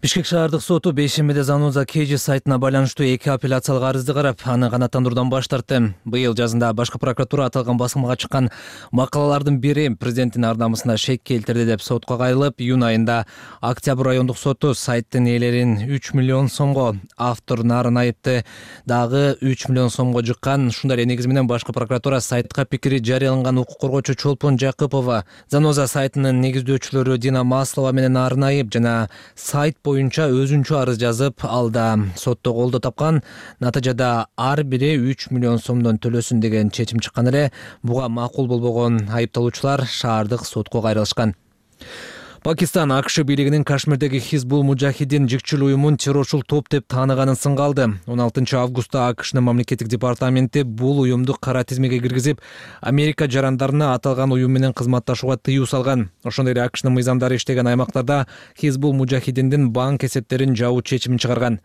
Бишкек шаардык соту бейшембиде Заноза Кежи сайтына байланыштуу эки апелляциялык арызды карап, аны канааттандыруудан баш тартты. Быйыл жазында башкы прокуратура аталган басылмага чыккан макалалардын бири президенттин ар намысына шек келтирди деп сотко кайрылып, июнь айында Октябрь райондук соту сайттын ээлерин үч миллион сомго, автор Нарын айыпты дагы үч миллион сомго жыккан. Ушундай эле негиз менен башкы прокуратура сайтка пикири жарыяланган укук коргоочу Чолпон Жакыпова, Заноза сайтынын негиздөөчүлөрү Дина Маслова менен Нарын айып жана сайт боюнча өзүнчө арыз жазып, алда сотто колдоо тапкан. Натыйжада ар бири үч миллион сомдон төлөсүн деген чечим чыккан эле. Буга макул болбогон айыпталуучулар шаардык сотко кайрылышкан. Пакистан АКШ бийлигинин Кашмирдеги Хизбул Мужахидин жикчил уюмун террорчул топ деп тааныганын сынгалды. он алтынчы августта АКШнын мамлекеттик департаменти бул уюмду кара тизмеге киргизип, Америка жарандарына аталган уюм менен кызматташууга тыюу салган. Ошондой эле АКШнын мыйзамдары иштеген аймактарда Хизбул Мужахидиндин банк эсептерин жабуу чечимин чыгарган.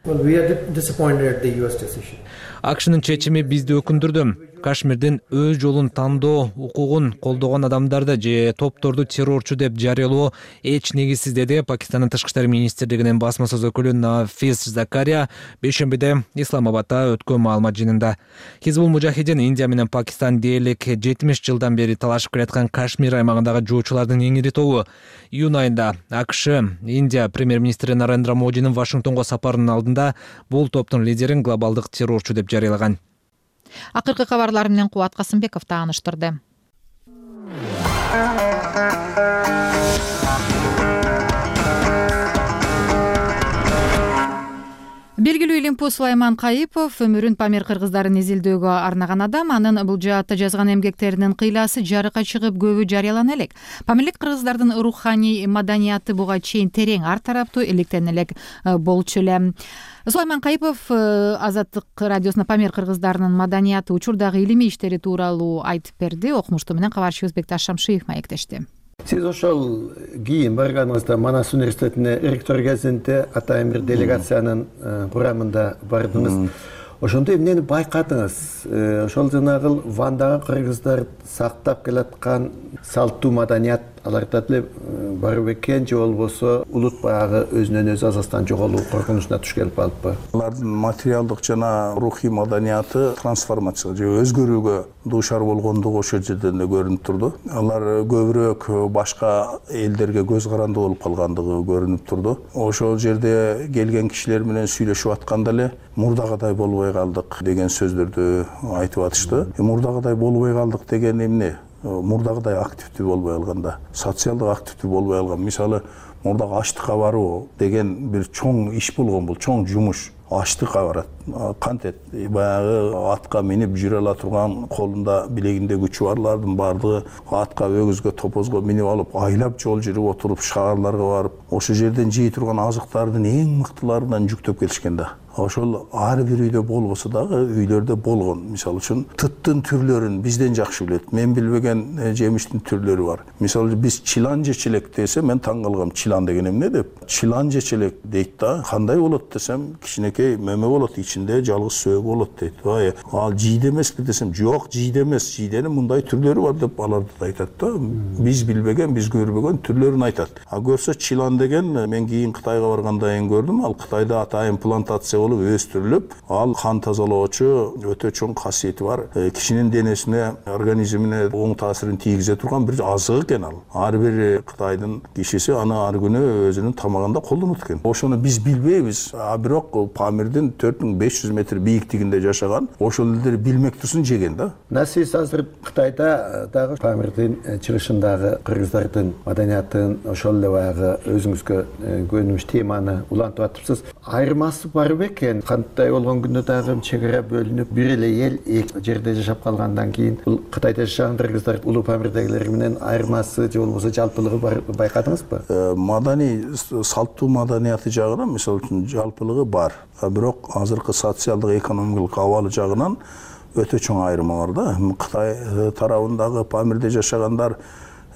АКШнын чечими бизди өкүндүрдү. Кашмирдин өз жолун тандоо укугун колдогон адамдарды же топторду террорчу деп жарыялоо эч негизсиз, деди Пакистандын тышкы иштер министрлигинин басма сөз өкүлү Нафис Закария бейшембиде Исламабадда өткөн маалымат жыйынында. Хизбул Мужахидин Индия менен Пакистан дээрлик жетимиш жылдан бери талашып келаткан Кашмир аймагындагы жоочулардын эң ири тобу. Июнь айында АКШ Индия премьер-министри Нарендра Модинин Вашингтонго сапарынын алдында бул топтун лидерин глобалдык террорчу деп жарыялаган. Акыркы кабарлар менен Кубат Касымбеков тааныштырды. белгилүү илимпуз Сулайман Кайыпов өмүрүн Памир кыргыздарын изилдөөгө арнаган адам. Анын бул жаатта жазган эмгектеринин кыйласы жарыкка чыгып көбү жарыялана элек. Памирлик кыргыздардын руханий маданияты буга чейин терең ар тараптуу иликтен элек болчу эле. Сулайман Кайыпов Азаттык радиосуна Памир кыргыздарынын маданияты, учурдагы илимий иштери тууралуу айтып берди. Окумуштуу менен кабарчыбыз Бекташ Шамшиев маектешти. Сиз ошол кийин барганыңызда Манас университетине ректор кезинде атайын бир делегациянын курамында бардыңыз. Ошондо эмнени байкадыңыз? Ошол жанагы Вандагы кыргыздар сактап келаткан салттуу маданият аларда деле бар бекен, же болбосо улут баягы өзүнөн өзү азастан жоголуу коркунучуна туш келип калыппы? Алардын материалдык жана рухий маданияты трансформация же өзгөрүүгө дуушар болгондугу ошол жерден эле көрүнүп турду. Алар көбүрөөк башка элдерге көз каранды болуп калгандыгы көрүнүп турду. Ошол жерде келген кишилер менен сүйлөшүп атканда эле мурдагыдай болбой калдык деген сөздөрдү айтып атышты. Мурдагыдай болбой калдык деген эмне? Мурдагыдай активдүү болбой калганда, социалдык активдүү болбой калган. Мисалы, мурдагы аштыкка баруу деген бир чоң иш болгон, бул чоң жумуш. Аштыкка барат. Кантет баягы атка минип жүрө ала турган, колунда билегинде күчү барлардын бардыгы атка, өгүзгө, топозго минип алып, айлап жол жүрүп отуруп, шаарларга барып, ошол жерден жей турган азыктардын эң мыктыларынан жүктөп келишкен да. Ошол ар бир үйдө болбосо дагы үйлөрдө болгон. Мисалы үчүн тыттын түрлөрүн бизден жакшы билет. Мен билбеген жемиштин түрлөрү бар. Мисалы биз чилан жечелек десе, мен таң калгам, чилан деген эмне деп. Чилан жечелек дейт да. Кандай болот десем, кичинекей мөмө болот, ичинде жалгыз сөөгү болот дейт. Ай, ал жийде эмеспи десем, жок, жийде эмес, жийденин мындай түрлөрү бар деп аларды да айтат да. Биз билбеген, биз көрбөгөн түрлөрүн айтат. А көрсө чилан деген мен кийин Кытайга баргандан кийин көрдүм. Ал Кытайда атайын плантация болуп өстүрүлүп, ал кан тазалоочу өтө чоң касиети бар. Кишинин денесине, организмине оң таасирин тийгизе турган бир азык экен ал. Ар бир Кытайдын кишиси аны ар күнү өзүнүн тамагында колдонот экен. Ошону биз билбейбиз. А бирок Памирдин төрт миң беш жүз метр бийиктигинде жашаган, ошол элдер билмектүүсүн жеген да. Сиз азыр Кытайда дагы Памирдин чыгышындагы кыргыздардын маданиятын ошол эле баягы өзүңүзгө көнүмүш теманы улантып атыпсыз. Айырмасы барбы экен? Кандай болгон күндө дагы чек ара бөлүнүп, бир эле эл эки жерде жашап калгандан кийин бул Кытайда жашаган кыргыздар улуу Памирдегилер менен айырмасы же болбосо жалпылыгы байкадыңызбы? Маданий, салттуу маданияты жагынан мисалы үчүн жалпылыгы бар. Бирок азыркы социалдык экономикалык абалы жагынан өтө чоң айырма бар да. Кытай тарабындагы Памирде жашагандар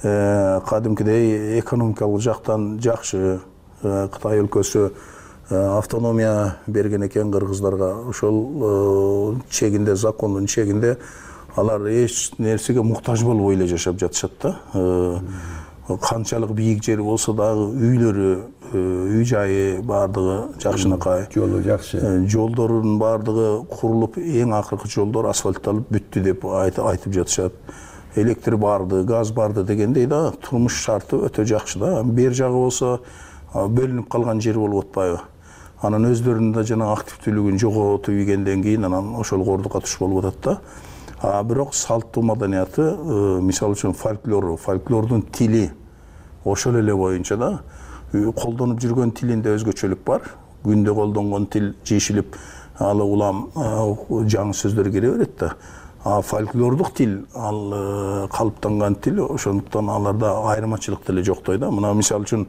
кадимкидей экономикалык жактан жакшы. Кытай өлкөсү автономия берген экен кыргыздарга. Ошол чегинде, закондун чегинде алар эч нерсеге муктаж болбой эле жашап жатышат да. Канчалык бийик жери болсо дагы үйлөрү, үй жайы бардыгы жакшынакай. Жолу жакшы. Жолдордун бардыгы курулуп, эң акыркы жолдор асфальтталып бүттү деп айтып жатышат. Электр барды, газ барды дегендей да, турмуш шарты өтө жакшы да. Бер жагы болсо бөлүнүп калган жер болуп атпайбы? Анан өздөрүнүн да жана активдүүлүгүн жоготуп ийгенден кийин анан ошол кордукка туш болуп атат да. А бирок салттуу маданияты, мисалы үчүн фольклору, фольклордун тили ошол эле боюнча да. Колдонуп жүргөн тилинде өзгөчөлүк бар. Күндө колдонгон тил жешилип, ал улам жаңы сөздөр кире берет да. А фольклордук тил, ал калыптанган тил, ошондуктан аларда айырмачылык деле жоктой да. Мына мисалы үчүн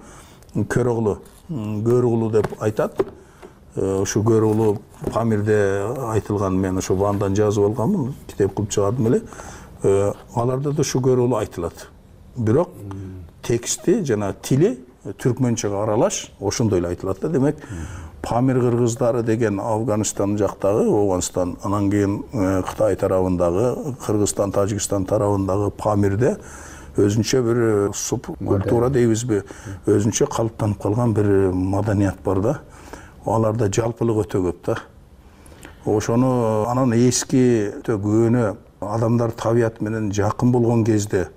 Көрөгулу, Көрөгулу деп айтат. Ошо Көрөгулу Памирде айтылган, мен ошо Вандан жазып алганмын, китеп кылып чыгардым эле. Аларда да ошо Көрөгулу айтылат. Бирок тексти жана тили түркмөнчөгө аралаш, ошондой эле айтылат да. Демек, Памир кыргыздары деген Афганистан жактагы, Оғанстан, анан кийин Кытай тарабындагы, Кыргызстан, Тажикстан тарабындагы Памирде өзүнчө бир субкультура дейбизби, өзүнчө калыптанып калган бир маданият бар да. Аларда жалпылык өтө көп да. Ошону анан эски өтө көөнө адамдар табият менен жакын болгон кезде,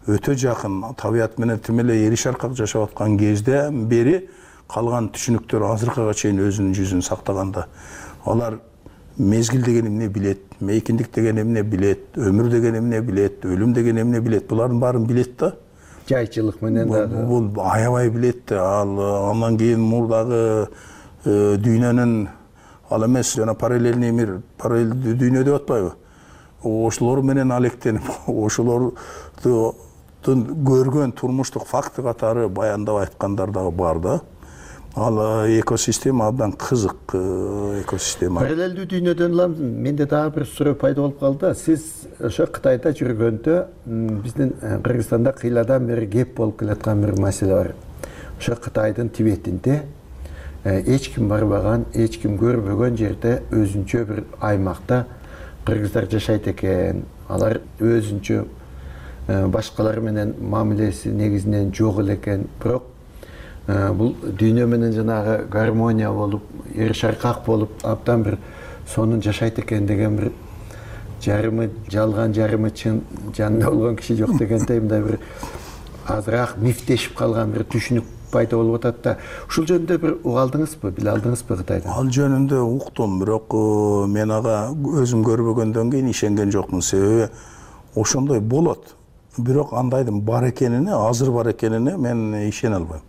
өтө жакын табият менен тим эле эри шаркак жашап аткан кезде бери калган түшүнүктөр азыркыга чейин өзүнүн жүзүн сактаганда. Алар мезгил деген эмне билет, мейкиндик деген эмне билет, өмүр деген эмне билет, өлүм деген эмне билет. Булардын баарын билет да. Жайчылык менен дагы. Бул аябай билет да. Ал андан кийин мурдагы дүйнөнүн ал эмес жана параллельный мир, параллелдүү дүйнө деп атпайбы? Ошолор менен алектенип, ошолорду көргөн турмуштук факты катары баяндап айткандар дагы бар да. Ал экосистема абдан кызык экосистема. Параллелдүү дүйнөдөн улам менде дагы бир суроо пайда болуп калды. Сиз ошо Кытайда жүргөндө биздин Кыргызстанда кыйладан бери кеп болуп келаткан бир маселе бар. Ошо Кытайдын Тибетинде эч ким барбаган, эч ким көрбөгөн жерде өзүнчө бир аймакта кыргыздар жашайт экен. Алар өзүнчө башкалар менен мамилеси негизинен жок эле экен. Бирок бул дүйнө менен жанагы гармония болуп, эр шаркак болуп, абдан бир сонун жашайт экен деген бир жарымы жалган, жарымы чын жанында болгон киши жок дегендей мындай бир азыраак мифтешип калган бир түшүнүк пайда болуп атат да. Ушул жөнүндө бир угалдыңызбы, биле алдыңызбы Кытайдан? Ал жөнүндө уктум, бирок мен ага өзүм көрбөгөндөн кийин ишенген жокмун. Себеби ошондой болот. Бирок андайдын бар экенине, азыр бар экенине мен ишене албайм.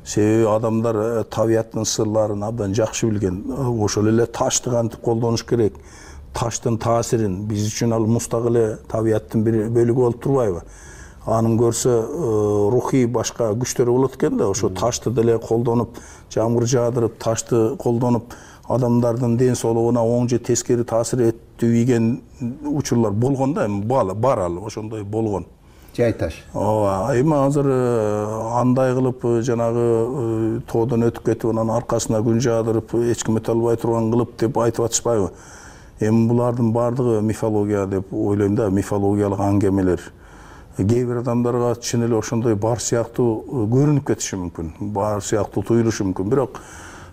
Себеби адамдар табияттын сырларын абдан жакшы билген. Ошол эле ташты кантип колдонуш керек, таштын таасирин, биз үчүн ал мустак эле табияттын бир бөлүгү болуп турбайбы? Анын көрсө рухий башка күчтөрү болот экен да, ошо ташты деле колдонуп, жамгыр жаадырып, ташты колдонуп, адамдардын ден соолугуна оң же тескери таасир этпеген учурлар болгон да, бар ал, ошондой болгон. Жай таш. Ооба, эми азыр андай кылып жанагы тоодон өтүп кетип, анан аркасына күн жаадырып, эч ким өтө албай турган кылып деп айтып атышпайбы? Эми булардын баардыгы мифология деп ойлойм да, мифологиялык аңгемелер. Кээ бир адамдарга чын эле ошондой бар сыяктуу көрүнүп кетиши мүмкүн, бар сыяктуу туюлушу мүмкүн. Бирок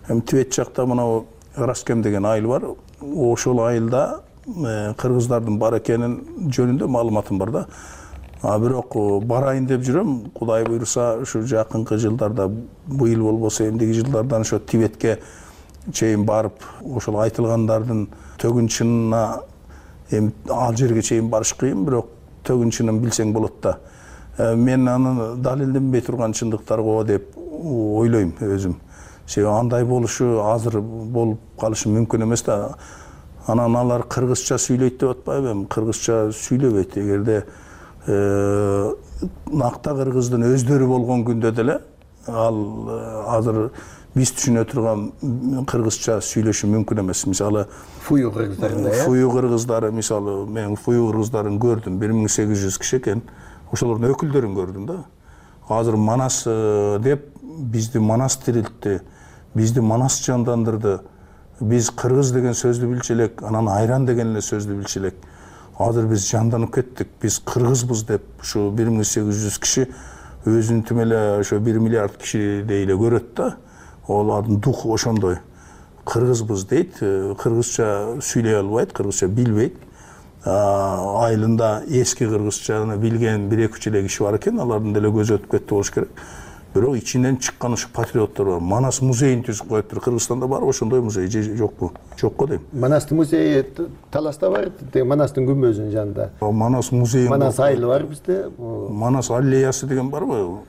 эми Тибет жакта мына Раскем деген айыл бар. Ошол айылда кыргыздардын бар экенин жөнүндө маалыматым бар да. А бирок барайын деп жүрөм, Кудай буйруса ушу жакынкы жылдарда, быйыл болбосо эмдиги жылдардан ошо Тибетке чейин барып, ошол айтылгандардын төгүн чынына эми ал жерге чейин барыш кыйын, бирок төгүн чынын билсең болот да. Мен аны далилденбей турган чындыктар го деп ойлойм өзүм. Себеби андай болушу азыр болуп калышы мүмкүн эмес да. Анан алар кыргызча сүйлөйт деп атпайбы? Эми кыргызча сүйлөбөйт. Эгерде накта кыргыздын өздөрү болгон күндө деле ал азыр биз түшүнө турган кыргызча сүйлөшү мүмкүн эмес. Мисалы, фую кыргыздарында, э? Фую кыргыздары, мисалы, мен фую кыргыздарын көрдүм, бир миң сегиз жүз киши экен. Ошолордун өкүлдөрүн көрдүм да. Азыр Манас деп бизди Манас тирилтти, бизди Манас жандандырды. Биз кыргыз деген сөздү билчү элек, анан айран деген эле сөздү билчү элек. Азыр биз жанданып кеттик, биз кыргызбыз деп ушу бир миң сегиз жүз киши өзүн түм эле ошо бир миллиард киши дейле көрөт да. Олардын духу ошондой. Кыргызбыз дейт, кыргызча сүйлөй албайт, кыргызча билбейт. Айылында эски кыргызчаны билген бир эки үч эле киши бар экен, алардын деле көзү өтүп кетти болуш керек. Бирок ичинен чыккан ушу патриоттор бар. Манас музейин түзүп коюптур. Кыргызстанда бар ошондой музей же жокпу? Жок го дейм. Манастын музейи Таласта бар, Манастын күмбөзүнүн жанында. Манас музейи. Манас айылы бар бизде. Манас аллеясы деген барбы?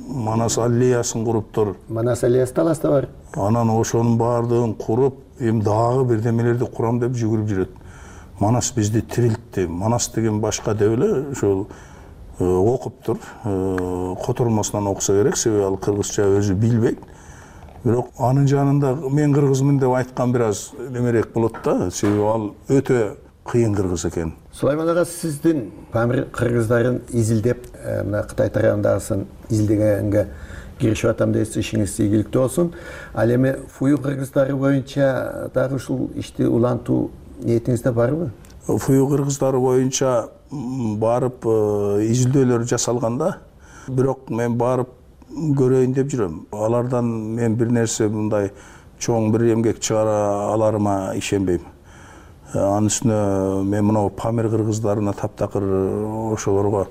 Манас аллеясын куруптур. Манас аллеясы Таласта бар. Анан ошонун баардыгын куруп, эми дагы бирдемелерди курам деп жүгүрүп жүрөт. Манас бизди тирилтти. Манас деген башка деп эле ошол окуптур. Котормосунан окуса керек, себеби ал кыргызча өзү билбейт. Бирок анын жанында мен кыргызмын деп айткан бир аз немерээк болот да, себеби ал өтө кыйын кыргыз экен. Сулайман ага, сиздин Памир кыргыздарын изилдеп, мына Кытай тарабындагысын изилдегенге киришип атам дейсиз, ишиңиз ийгиликтүү болсун. Ал эми фую кыргыздары боюнча дагы ушул ишти улантуу ниетиңизде барбы? Фую кыргыздары боюнча барып изилдөөлөр жасалганда, бирок мен барып көрөйүн деп жүрөм. Алардан мен бир нерсе мындай чоң бир эмгек чыгара аларыма ишенбейм. Анын үстүнө мен мына Памир кыргыздарына таптакыр ошолорго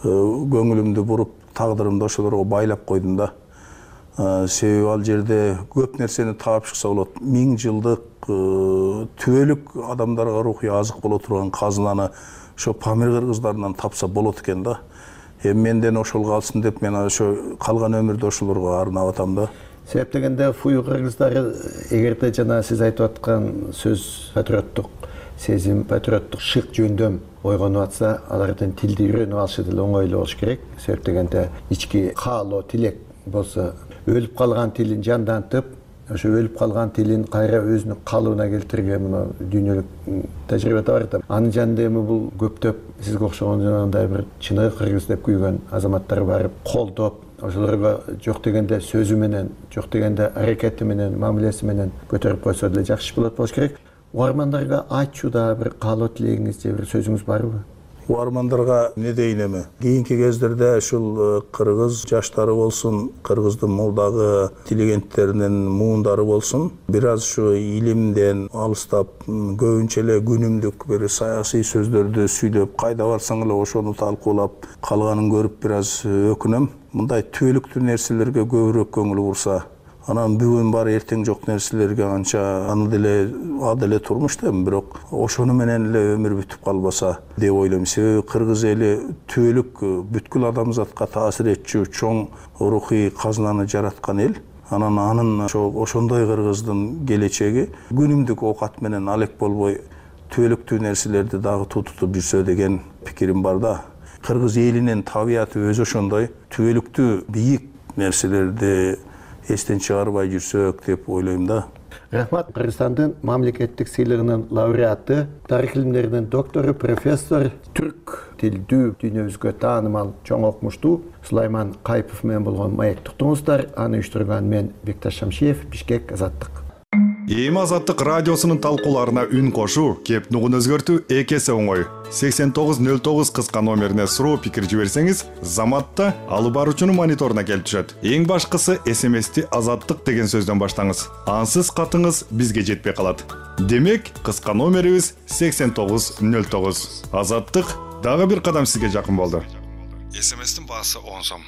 көңүлүмдү буруп, тагдырымды ошолорго байлап койдум да. Себеби ал жерде көп нерсени таап чыкса болот. Миң жылдык түбөлүк адамдарга рухий азык боло турган казынаны ошо Памир кыргыздарынан тапса болот экен да. Эми менден ошол калсын деп мен ошо калган өмүрдү ошолорго арнап атам да. себеп дегенде фую кыргыздары эгерде жана сиз айтып аткан сөз патриоттук сезим, патриоттук шык жөндөм ойгонуп атса, алардын тилди үйрөнүп алышы деле оңой эле болуш керек. Себеп дегенде ички каалоо, тилек болсо, өлүп калган тилин жандантып, ошо өлүп калган тилин кайра өзүнүн калыбына келтирген мына дүйнөлүк тажрыйбада бар да. Анын жанында эми бул көптөп сизге окшогон жанагындай бир чыныгы кыргыз деп күйгөн азаматтар барып колдоп, ошолорго жок дегенде сөзү менен, жок дегенде аракети менен, мамилеси менен көтөрүп койсо деле жакшы болот болуш керек. Угармандарга айтчуда бир каалоо тилегиңиз же бир сөзүңүз барбы? Угармандарга эмне дейин эми? Кийинки кездерде ушул кыргыз жаштары болсун, кыргыздын молдагы интеллигенттеринин муундары болсун, бир аз ушу илимден алыстап, көбүнчө эле күнүмдүк бир саясий сөздөрдү сүйлөп, кайда барсаң эле ошону талкуулап калганын көрүп бир аз өкүнөм. Мындай түбөлүктүү нерселерге көбүрөөк көңүл бурса, анан бүгүн бар эртең жок нерселерге анча аны деле а деле турмуш да, бирок ошону менен эле өмүр бүтүп калбаса деп ойлойм. Себеби кыргыз эли түбөлүк бүткүл адамзатка таасир этчү чоң рухий казынаны жараткан эл. Анан анын ошондой кыргыздын келечеги күнүмдүк оокат менен алек болбой түбөлүктүү нерселерди дагы тутутуп жүрсө деген пикирим бар да. Кыргыз элинин табияты өзү ошондой, түбөлүктүү бийик нерселерди эстен чыгарбай жүрсөк деп ойлойм да. Рахмат. Кыргызстандын мамлекеттик сыйлыгынын лауреаты, тарых илимдеринин доктору, профессор, түрк тилдүү, дүйнөбүзгө таанымал, чоң окумуштуу Сулайман Кайыпов менен болгон маек туктуңуздар. Аны уюштурган мен Бекташ Шамшиев, Бишкек, Азаттык. Эми Азаттык радиосунун талкууларына үн кошуу, кеп нугун өзгөртүү эки эсе оңой. сексен тогуз нөл тогуз кыска номерине суроо пикир жиберсеңиз, Заматта алып баруучунун мониторуна келип түшөт. Эң башкысы эс эм эсти Азаттык деген сөздөн баштаңыз. Ансыз катыңыз бизге жетпей калат. Демек, кыска номерибиз сексен тогуз нөл тогуз. Азаттык дагы бир кадам сизге жакын болду. эс эм эстин баасы он сом.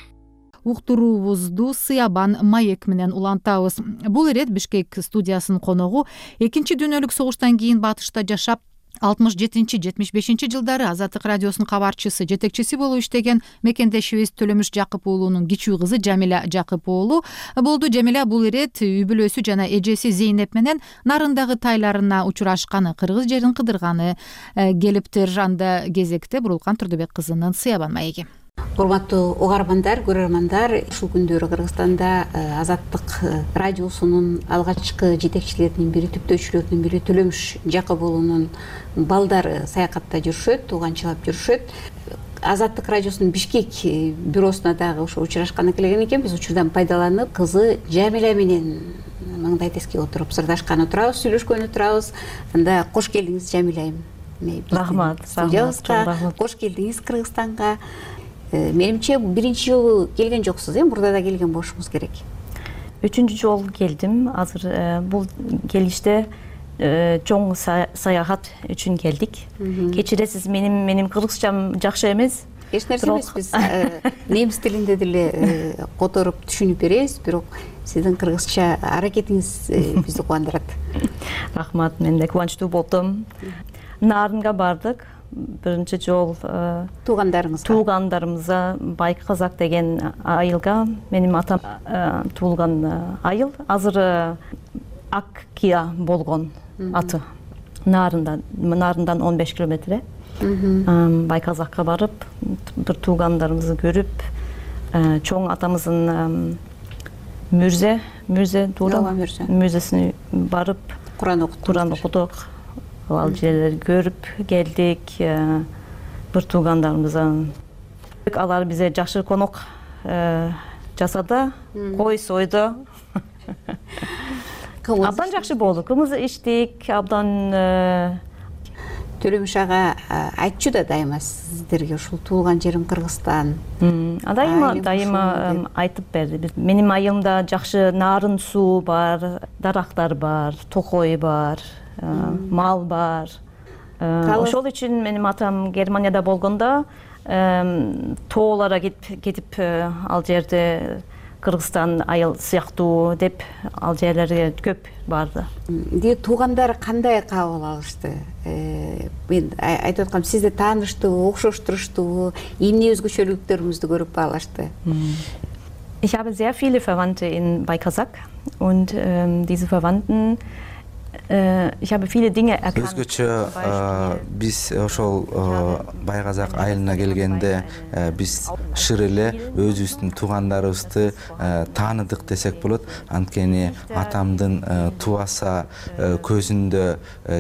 Уктуруубузду Сыябан маек менен улантабыз. Бул ирет Бишкек студиясынын коногу экинчи дүйнөлүк согуштан кийин батышта жашап, алтымыш жетинчи жетимиш бешинчи жылдары Азаттык радиосунун кабарчысы, жетекчиси болуп иштеген мекендешибиз Төлөмүш Жакып уулунун кичүү кызы Жамиля Жакып уулу болду. Жамиля бул ирет үй бүлөсү жана эжеси Зейнеп менен Нарындагы тайларына учурашканы, кыргыз жерин кыдырганы келиптир. Анда кезекте Бурулкан Турдубек кызынын Сыябан маеги. Урматтуу угармандар, көрөрмандар, ушул күндөрү Кыргызстанда Азаттык радиосунун алгачкы жетекчилеринин бири, түптөөчүлөрүнүн бири Төлөмүш Жакып уулунун балдары саякатта жүрүшөт, тууганчылап жүрүшөт. Азаттык радиосунун Бишкек бюросуна дагы ошо учурашканы келген экен. Биз учурдан пайдаланып, кызы Жамиля менен маңдай теске отуруп сырдашкан отурабыз, сүйлөшкөн отурабыз. Анда кош келдиңиз Жамиля. Рахмат. Кош келдиңиз Кыргызстанга. Менимче биринчи жолу келген жоксуз, э? Мурда да келген болушуңуз керек. Үчүнчү жолу келдим. Азыр бул келиште чоң саякат үчүн келдик. Кечиресиз, менин менин кыргызчам жакшы эмес. Эч нерсе эмес, биз немис тилинде деле которуп түшүнүп беребиз, бирок сиздин кыргызча аракетиңиз бизди кубандырат. Рахмат, мен да кубанычтуу болдум. Нарынга бардык. Биринчи жол туугандарыңызга туугандарыбызга Байк Казак деген айылга, менин атам туулган айыл. Азыр Аккия болгон аты. Нарындан, Нарындан он беш километр. Байк Казакка барып, бир туугандарыбызды көрүп, чоң атамыздын мүрзе, мүрзе туура, мүрзесине барып, Куран окуттук. Куран окудук. Ал жерлерди көрүп келдик. Бир туугандарыбыздан алар бизе жакшы конок жасады, кой сойду. Абдан жакшы болду. Кымыз ичтик, абдан. Төлөмүш ага айтчу да дайыма сиздерге ушул туулган жерим Кыргызстан. Дайыма дайыма айтып берди. Менин айылымда жакшы нарын суу бар, дарактар бар, токой бар. Мал бар. Ошол үчүн менин атам Германияда болгондо тоолорго кетип ал жерде Кыргызстан айыл сыяктуу деп ал жерлерге көп барды. Ди туугандар кандай кабыл алышты? Мен айтып аткам, сизди тааныштыбы, окшоштуруштубу, эмне өзгөчөлүктөрүңүздү көрүп баалашты? Ich habe sehr viele Verwandte in, bei Kazakh und ähm, diese Verwandten ich habe viele Dinge erkannt. Өзгөчө биз ошол Бай Казак айылына келгенде биз шыр эле өзүбүздүн туугандарыбызды тааныдык десек болот. Анткени атамдын тубаса көзүндө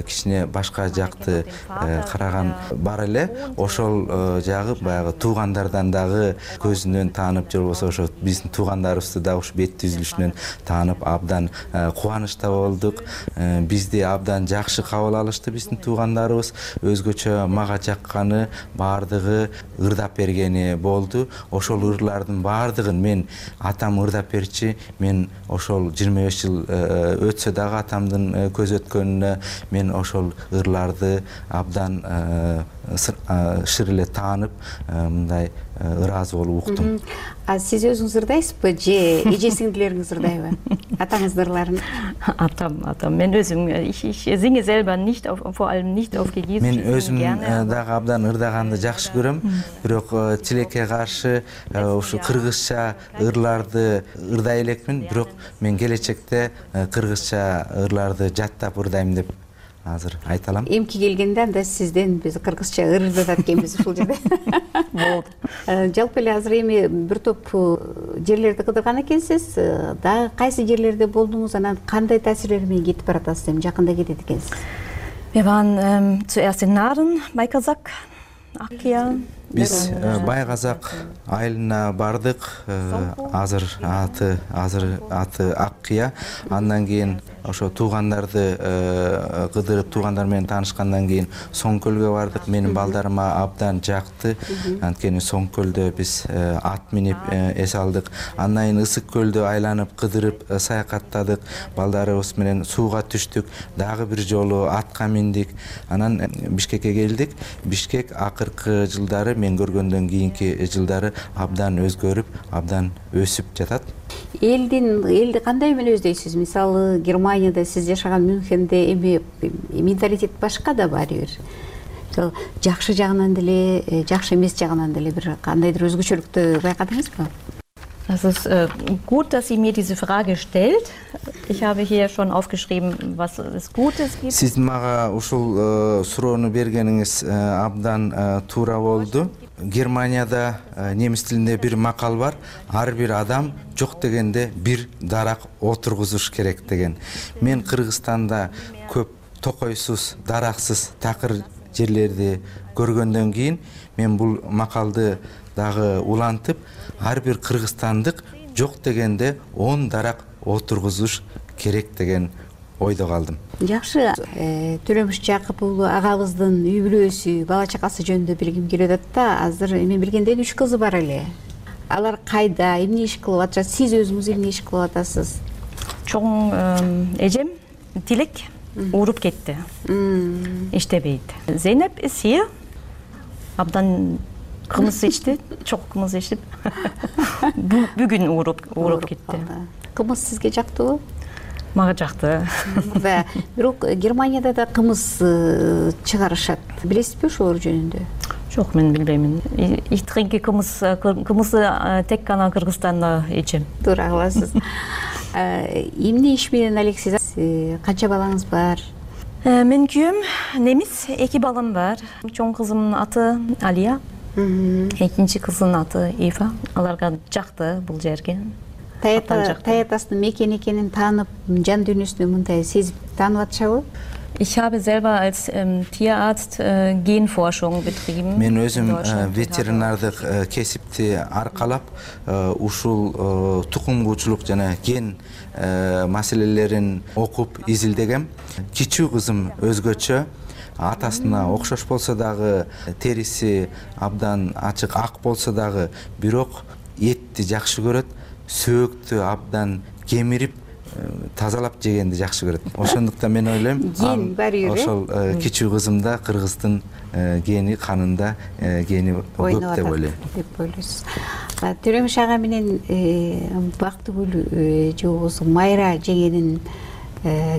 кичине башка жакты караган бар эле. Ошол жагы баягы туугандардан дагы көзүнөн таанып, же болбосо ошо биздин туугандарыбызды дагы ушу бет түзүлүшүнөн таанып абдан кубанычта болдук. Бизди абдан жакшы кабыл алышты биздин туугандарыбыз. Өзгөчө мага жакканы баардыгы ырдап бергени болду. Ошол ырлардын баардыгын мен атам ырдап берчи. Мен ошол жыйырма беш жыл өтсө дагы атамдын көз өткөнүнө мен ошол ырларды абдан шыр эле таанып, мындай ыраазы болуп уктум. А сиз өзүңүз ырдайсызбы же эже сиңдилериңиз ырдайбы? Атаңыздын ырларын? Атам, атам. Мен өзүм ich singe selber nicht auf, vor allem nicht auf Kirgiz. Мен өзүм дагы абдан ырдаганды жакшы көрөм. Бирок тилекке каршы ушу кыргызча ырларды ырдай элекмин. Бирок мен келечекте кыргызча ырларды жаттап ырдайм деп азыр айта алам. Эмки келгенде анда сизден биз кыргызча ыр ырдатат экенбиз ушул жерде. Болду. Жалпы эле азыр эми бир топ жерлерди кыдырган экенсиз. Дагы кайсы жерлерде болдуңуз, анан кандай таасирлер менен кетип баратасыз, эми жакында кетет экенсиз? Wir waren ähm, zuerst in Naren bei Kazakh, Akkya. Биз Бай Казак айылына бардык. Азыр аты азыр аты Аккия. Андан кийин ошо туугандарды кыдырып, туугандар менен таанышкандан кийин Соңкөлгө бардык. Менин балдарыма абдан жакты. Анткени Соңкөлдө биз ат минип эс алдык. Андан кийин Ысык көлдө айланып, кыдырып, саякаттадык. Балдарыбыз менен сууга түштүк. Дагы бир жолу атка миндик. Анан Бишкекке келдик. Бишкек акыркы жылдары мен көргөндөн кийинки жылдары абдан өзгөрүп, абдан өсүп жатат. Элдин элди кандай менен өздөйсүз? Мисалы, Германияда сиз жашаган Мюнхенде эми менталитет башка да баары бир. Жакшы жагынан деле, жакшы эмес жагынан деле бир кандайдыр өзгөчөлүктү байкадыңызбы? Das ist äh, gut, dass sie mir diese Frage stellt. Ich habe hier schon aufgeschrieben, was es Gutes gibt. Siz мага ушул суроону бергениңиз абдан туура болду. Германияда немис тилинде бир макал бар. Ар бир адам жок дегенде бир дарак отургузуш керек деген. Мен Кыргызстанда көп токойсуз, дараксыз, такыр жерлерди көргөндөн кийин мен бул макалды дагы улантып, ар бир кыргызстандык жок дегенде он дарак отургузуш керек деген ойдо калдым. Жакшы, Төлөмүш Жакып уулу агабыздын үй бүлөсү, бала чакасы жөнүндө билгим келип атат да. Азыр мен билгенден үч кызы бар эле. Алар кайда, эмне иш кылып атышат? Сиз өзүңүз эмне иш кылып атасыз? Чоң эжем Тилек ууруп кетти. Иштебейт. Зейнеп is hier. Абдан кымыз ичти, чок кымыз ичип. Бүгүн ууруп ууруп кетти. Кымыз сизге жактыбы? Мага жакты. Бирок Германияда да кымыз чыгарышат. Билесизби ошол жөнүндө? Жок, мен билбеймин. Ich trinke кымыз, кымызды тек гана Кыргызстанда ичем. Туура кыласыз. Эмне иш менен алексиз? Канча балаңыз бар? Мен күйөөм немис, эки балам бар. Чоң кызымдын аты Алия. Экинчи кыздын аты Ива. Аларга жакты бул жерге. Таятасынын мекен экенин таанып, жан дүйнөсүндө мындай сезип таанып атышабы? Ich habe selber als ähm, Tierarzt äh, Genforschung betrieben. Мен өзүм ветеринардык кесипти аркалап, ушул тукумгуучулук жана ген маселелерин окуп изилдегем. Кичүү кызым өзгөчө, атасына окшош болсо дагы, териси абдан ачык ак болсо дагы, бирок этти жакшы көрөт, сөөктү абдан кемирип тазалап жегенди жакшы көрөт. Ошондуктан мен ойлойм, ген бар үйрө. Ошол кичүү кызымда кыргыздын гени канында гени көп деп ойлойм. Деп ойлойсуз. Төлөмүш ага менен Бактыгүл же болбосо Майра жеңенин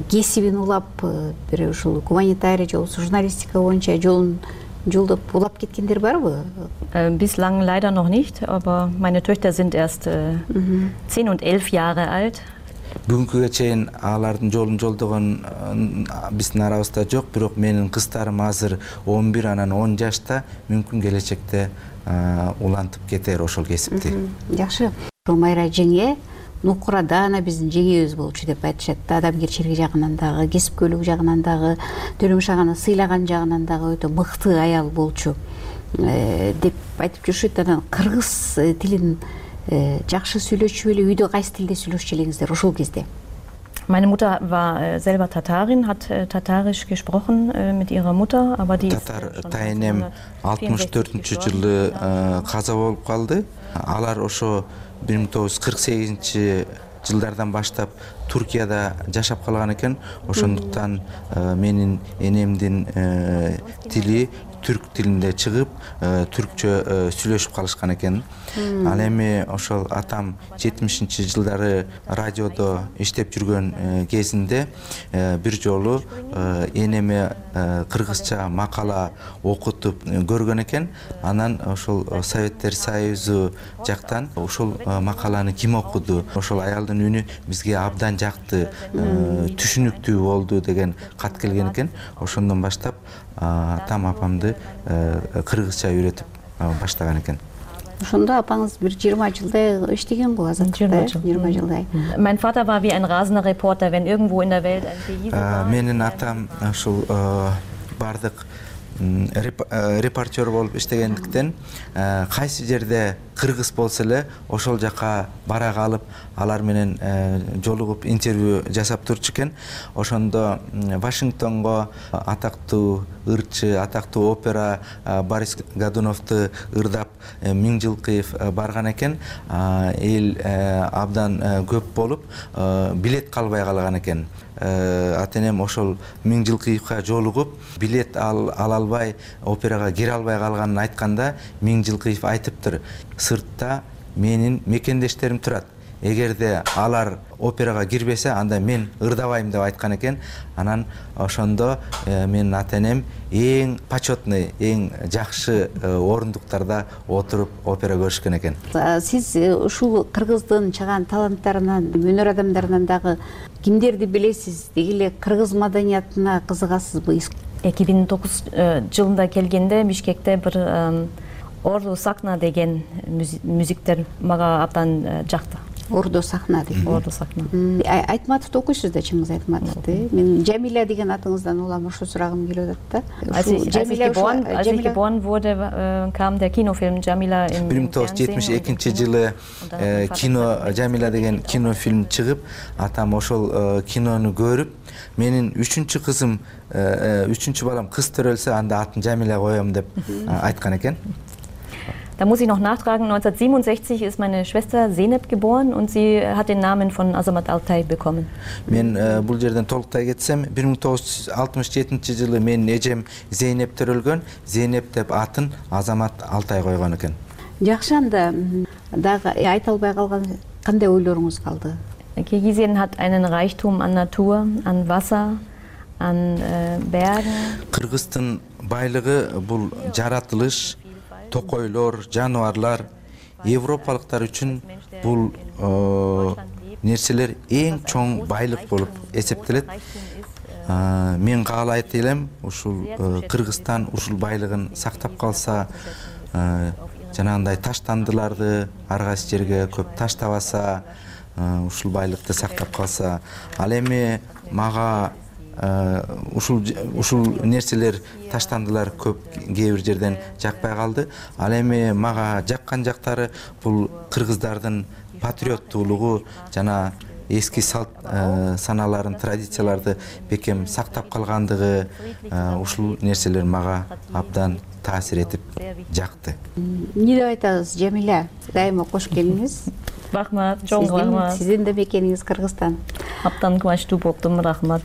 кесибин улап, бир ушул гуманитарий же болбосо журналистика боюнча жолун жолдоп улап кеткендер барбы? Bislang leider noch nicht, aber meine Töchter sind erst zehn und elf Jahre alt. Бүгүнкүгө чейин алардын жолун жолдогон биздин арабызда жок, бирок менин кыздарым азыр он бир анан он жашта, мүмкүн келечекте улантып кетер ошол кесипти. Жакшы. Майра жеңе Нукурадана биздин жеңебиз болчу деп айтышат. Адамгерчилиги жагынан дагы, кесипкөйлүк жагынан дагы, Төлөмүш аганы сыйлаган жагынан дагы өтө мыкты аял болчу деп айтып жүрүшөт. Анан кыргыз тилин жакшы сүйлөчү эле, үйдө кайсы тилде сүйлөшчү элеңиздер ошол кезде? Meine Mutter war selber Tatarin, hat Tatarisch gesprochen mit ihrer Mutter, aber die Татар тайнем алтымыш төртүнчү жылы каза болуп калды. Алар ошо бир миң тогуз жүз кырк сегизинчи жылдардан баштап Туркияда жашап калган экен. Ошондуктан менин энемдин тили түрк тилинде чыгып, түркчө сүйлөшүп калышкан экен. Ал эми ошол атам жетимишинчи жылдары радиодо иштеп жүргөн кезинде бир жолу энеме кыргызча макала окутуп көргөн экен. Анан ошол Советтер Союзу жактан ошол макаланы ким окуду? Ошол аялдын үнү бизге абдан жакты, түшүнүктүү болду деген кат келген экен. Ошондон баштап атам апамды кыргызча үйрөтүп баштаган экен. Ошондо апаңыз бир жыйырма жылдай иштеген бул азаттыкта, жыйырма жылдай. Mein Vater war wie ein rasender Reporter, wenn irgendwo in der Welt ein Beweis war. Менин атам ошол бардык репортер болуп иштегендиктен кайсы жерде кыргыз болсо эле ошол жака бара калып алар менен жолугуп интервью жасап турчу экен. Ошондо Вашингтонго атактуу ырчы, атактуу опера Борис Годуновду ырдап Миңжилкыев барган экен. Эл абдан көп болуп билет калбай калган экен. Атенем ошол Миңжилкыевка жолугуп билет ала албай операга кире албай калганын айтканда Миңжилкыев айтыптыр: сыртта менин мекендештерим турат. Эгерде алар операга кирбесе, анда мен ырдабайм деп айткан экен. Анан ошондо менин ата-энем эң почетный, эң жакшы орундуктарда отуруп опера көрүшкөн экен. Сиз ушул кыргыздын чыган таланттарынан, өнөр адамдарынан дагы кимдерди билесиз? Деги эле кыргыз маданиятына кызыгасызбы? эки миң тогуз жылында келгенде Бишкекте бир Орду Сакна деген мюзиктер мага абдан жакты. Орду Сахна деген. Орду Сахна. Айтматовду окуйсуз да, Чыңгыз Айтматовду. Мен Жамиля деген атыңыздан улам ошо сурагым келип атат да. Als ich, als ich, geboren, als ich geboren wurde, kam der Kinofilm Jamila im бир миң тогуз жүз жетимиш экинчи жылы кино Jamila деген кинофильм чыгып, атам ошол кинону көрүп, менин үчүнчү кызым, үчүнчү балам кыз төрөлсө, анда атын Jamila коем деп айткан экен. Da muss ich noch nachtragen, neunzehnhundertsiebenundsechzig ist meine Schwester Zeynep geboren und sie hat den Namen von Azamat Altay bekommen. Мен бул жерден толуктай кетсем, бир миң тогуз жүз алтымыш жетинчи жылы менин эжем Зейнеп төрөлгөн. Зейнеп деп атын Азамат Алтай койгон экен. Жакшы, анда дагы айта албай калган кандай ойлоруңуз калды? Kirgisien hat einen Reichtum an Natur, an Wasser, an Bergen. Кыргыздын байлыгы бул жаратылыш, токойлор, жаныбарлар. Европалыктар үчүн бул нерселер эң чоң байлык болуп эсептелет. Мен каалайт элем, ушул Кыргызстан ушул байлыгын сактап калса, жанагындай таштандыларды ар кайсы жерге көп таштабаса, ушул байлыкты сактап калса, ал эми мага ушул ушул нерселер, таштандылар көп кээ бир жерден жакпай калды. Ал эми мага жаккан жактары бул кыргыздардын патриоттуулугу, жана эски салт саналарын, традицияларды бекем сактап калгандыгы, ушул нерселер мага абдан таасир этип жакты. Эмне деп айтасыз, Жамиля? Дайыма кош келиңиз. Рахмат, чоң рахмат. Сиздин да мекениңиз Кыргызстан. Абдан кубанычтуу болдум, рахмат.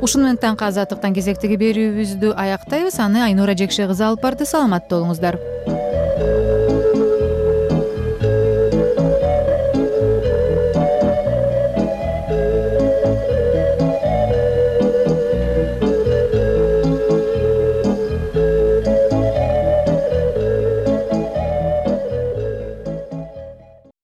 Ушуну менен таңкы азаттыктан кезектеги берүүбүздү аяктайбыз. Аны Айнура Жекше кызы алып барды. Саламатта болуңуздар.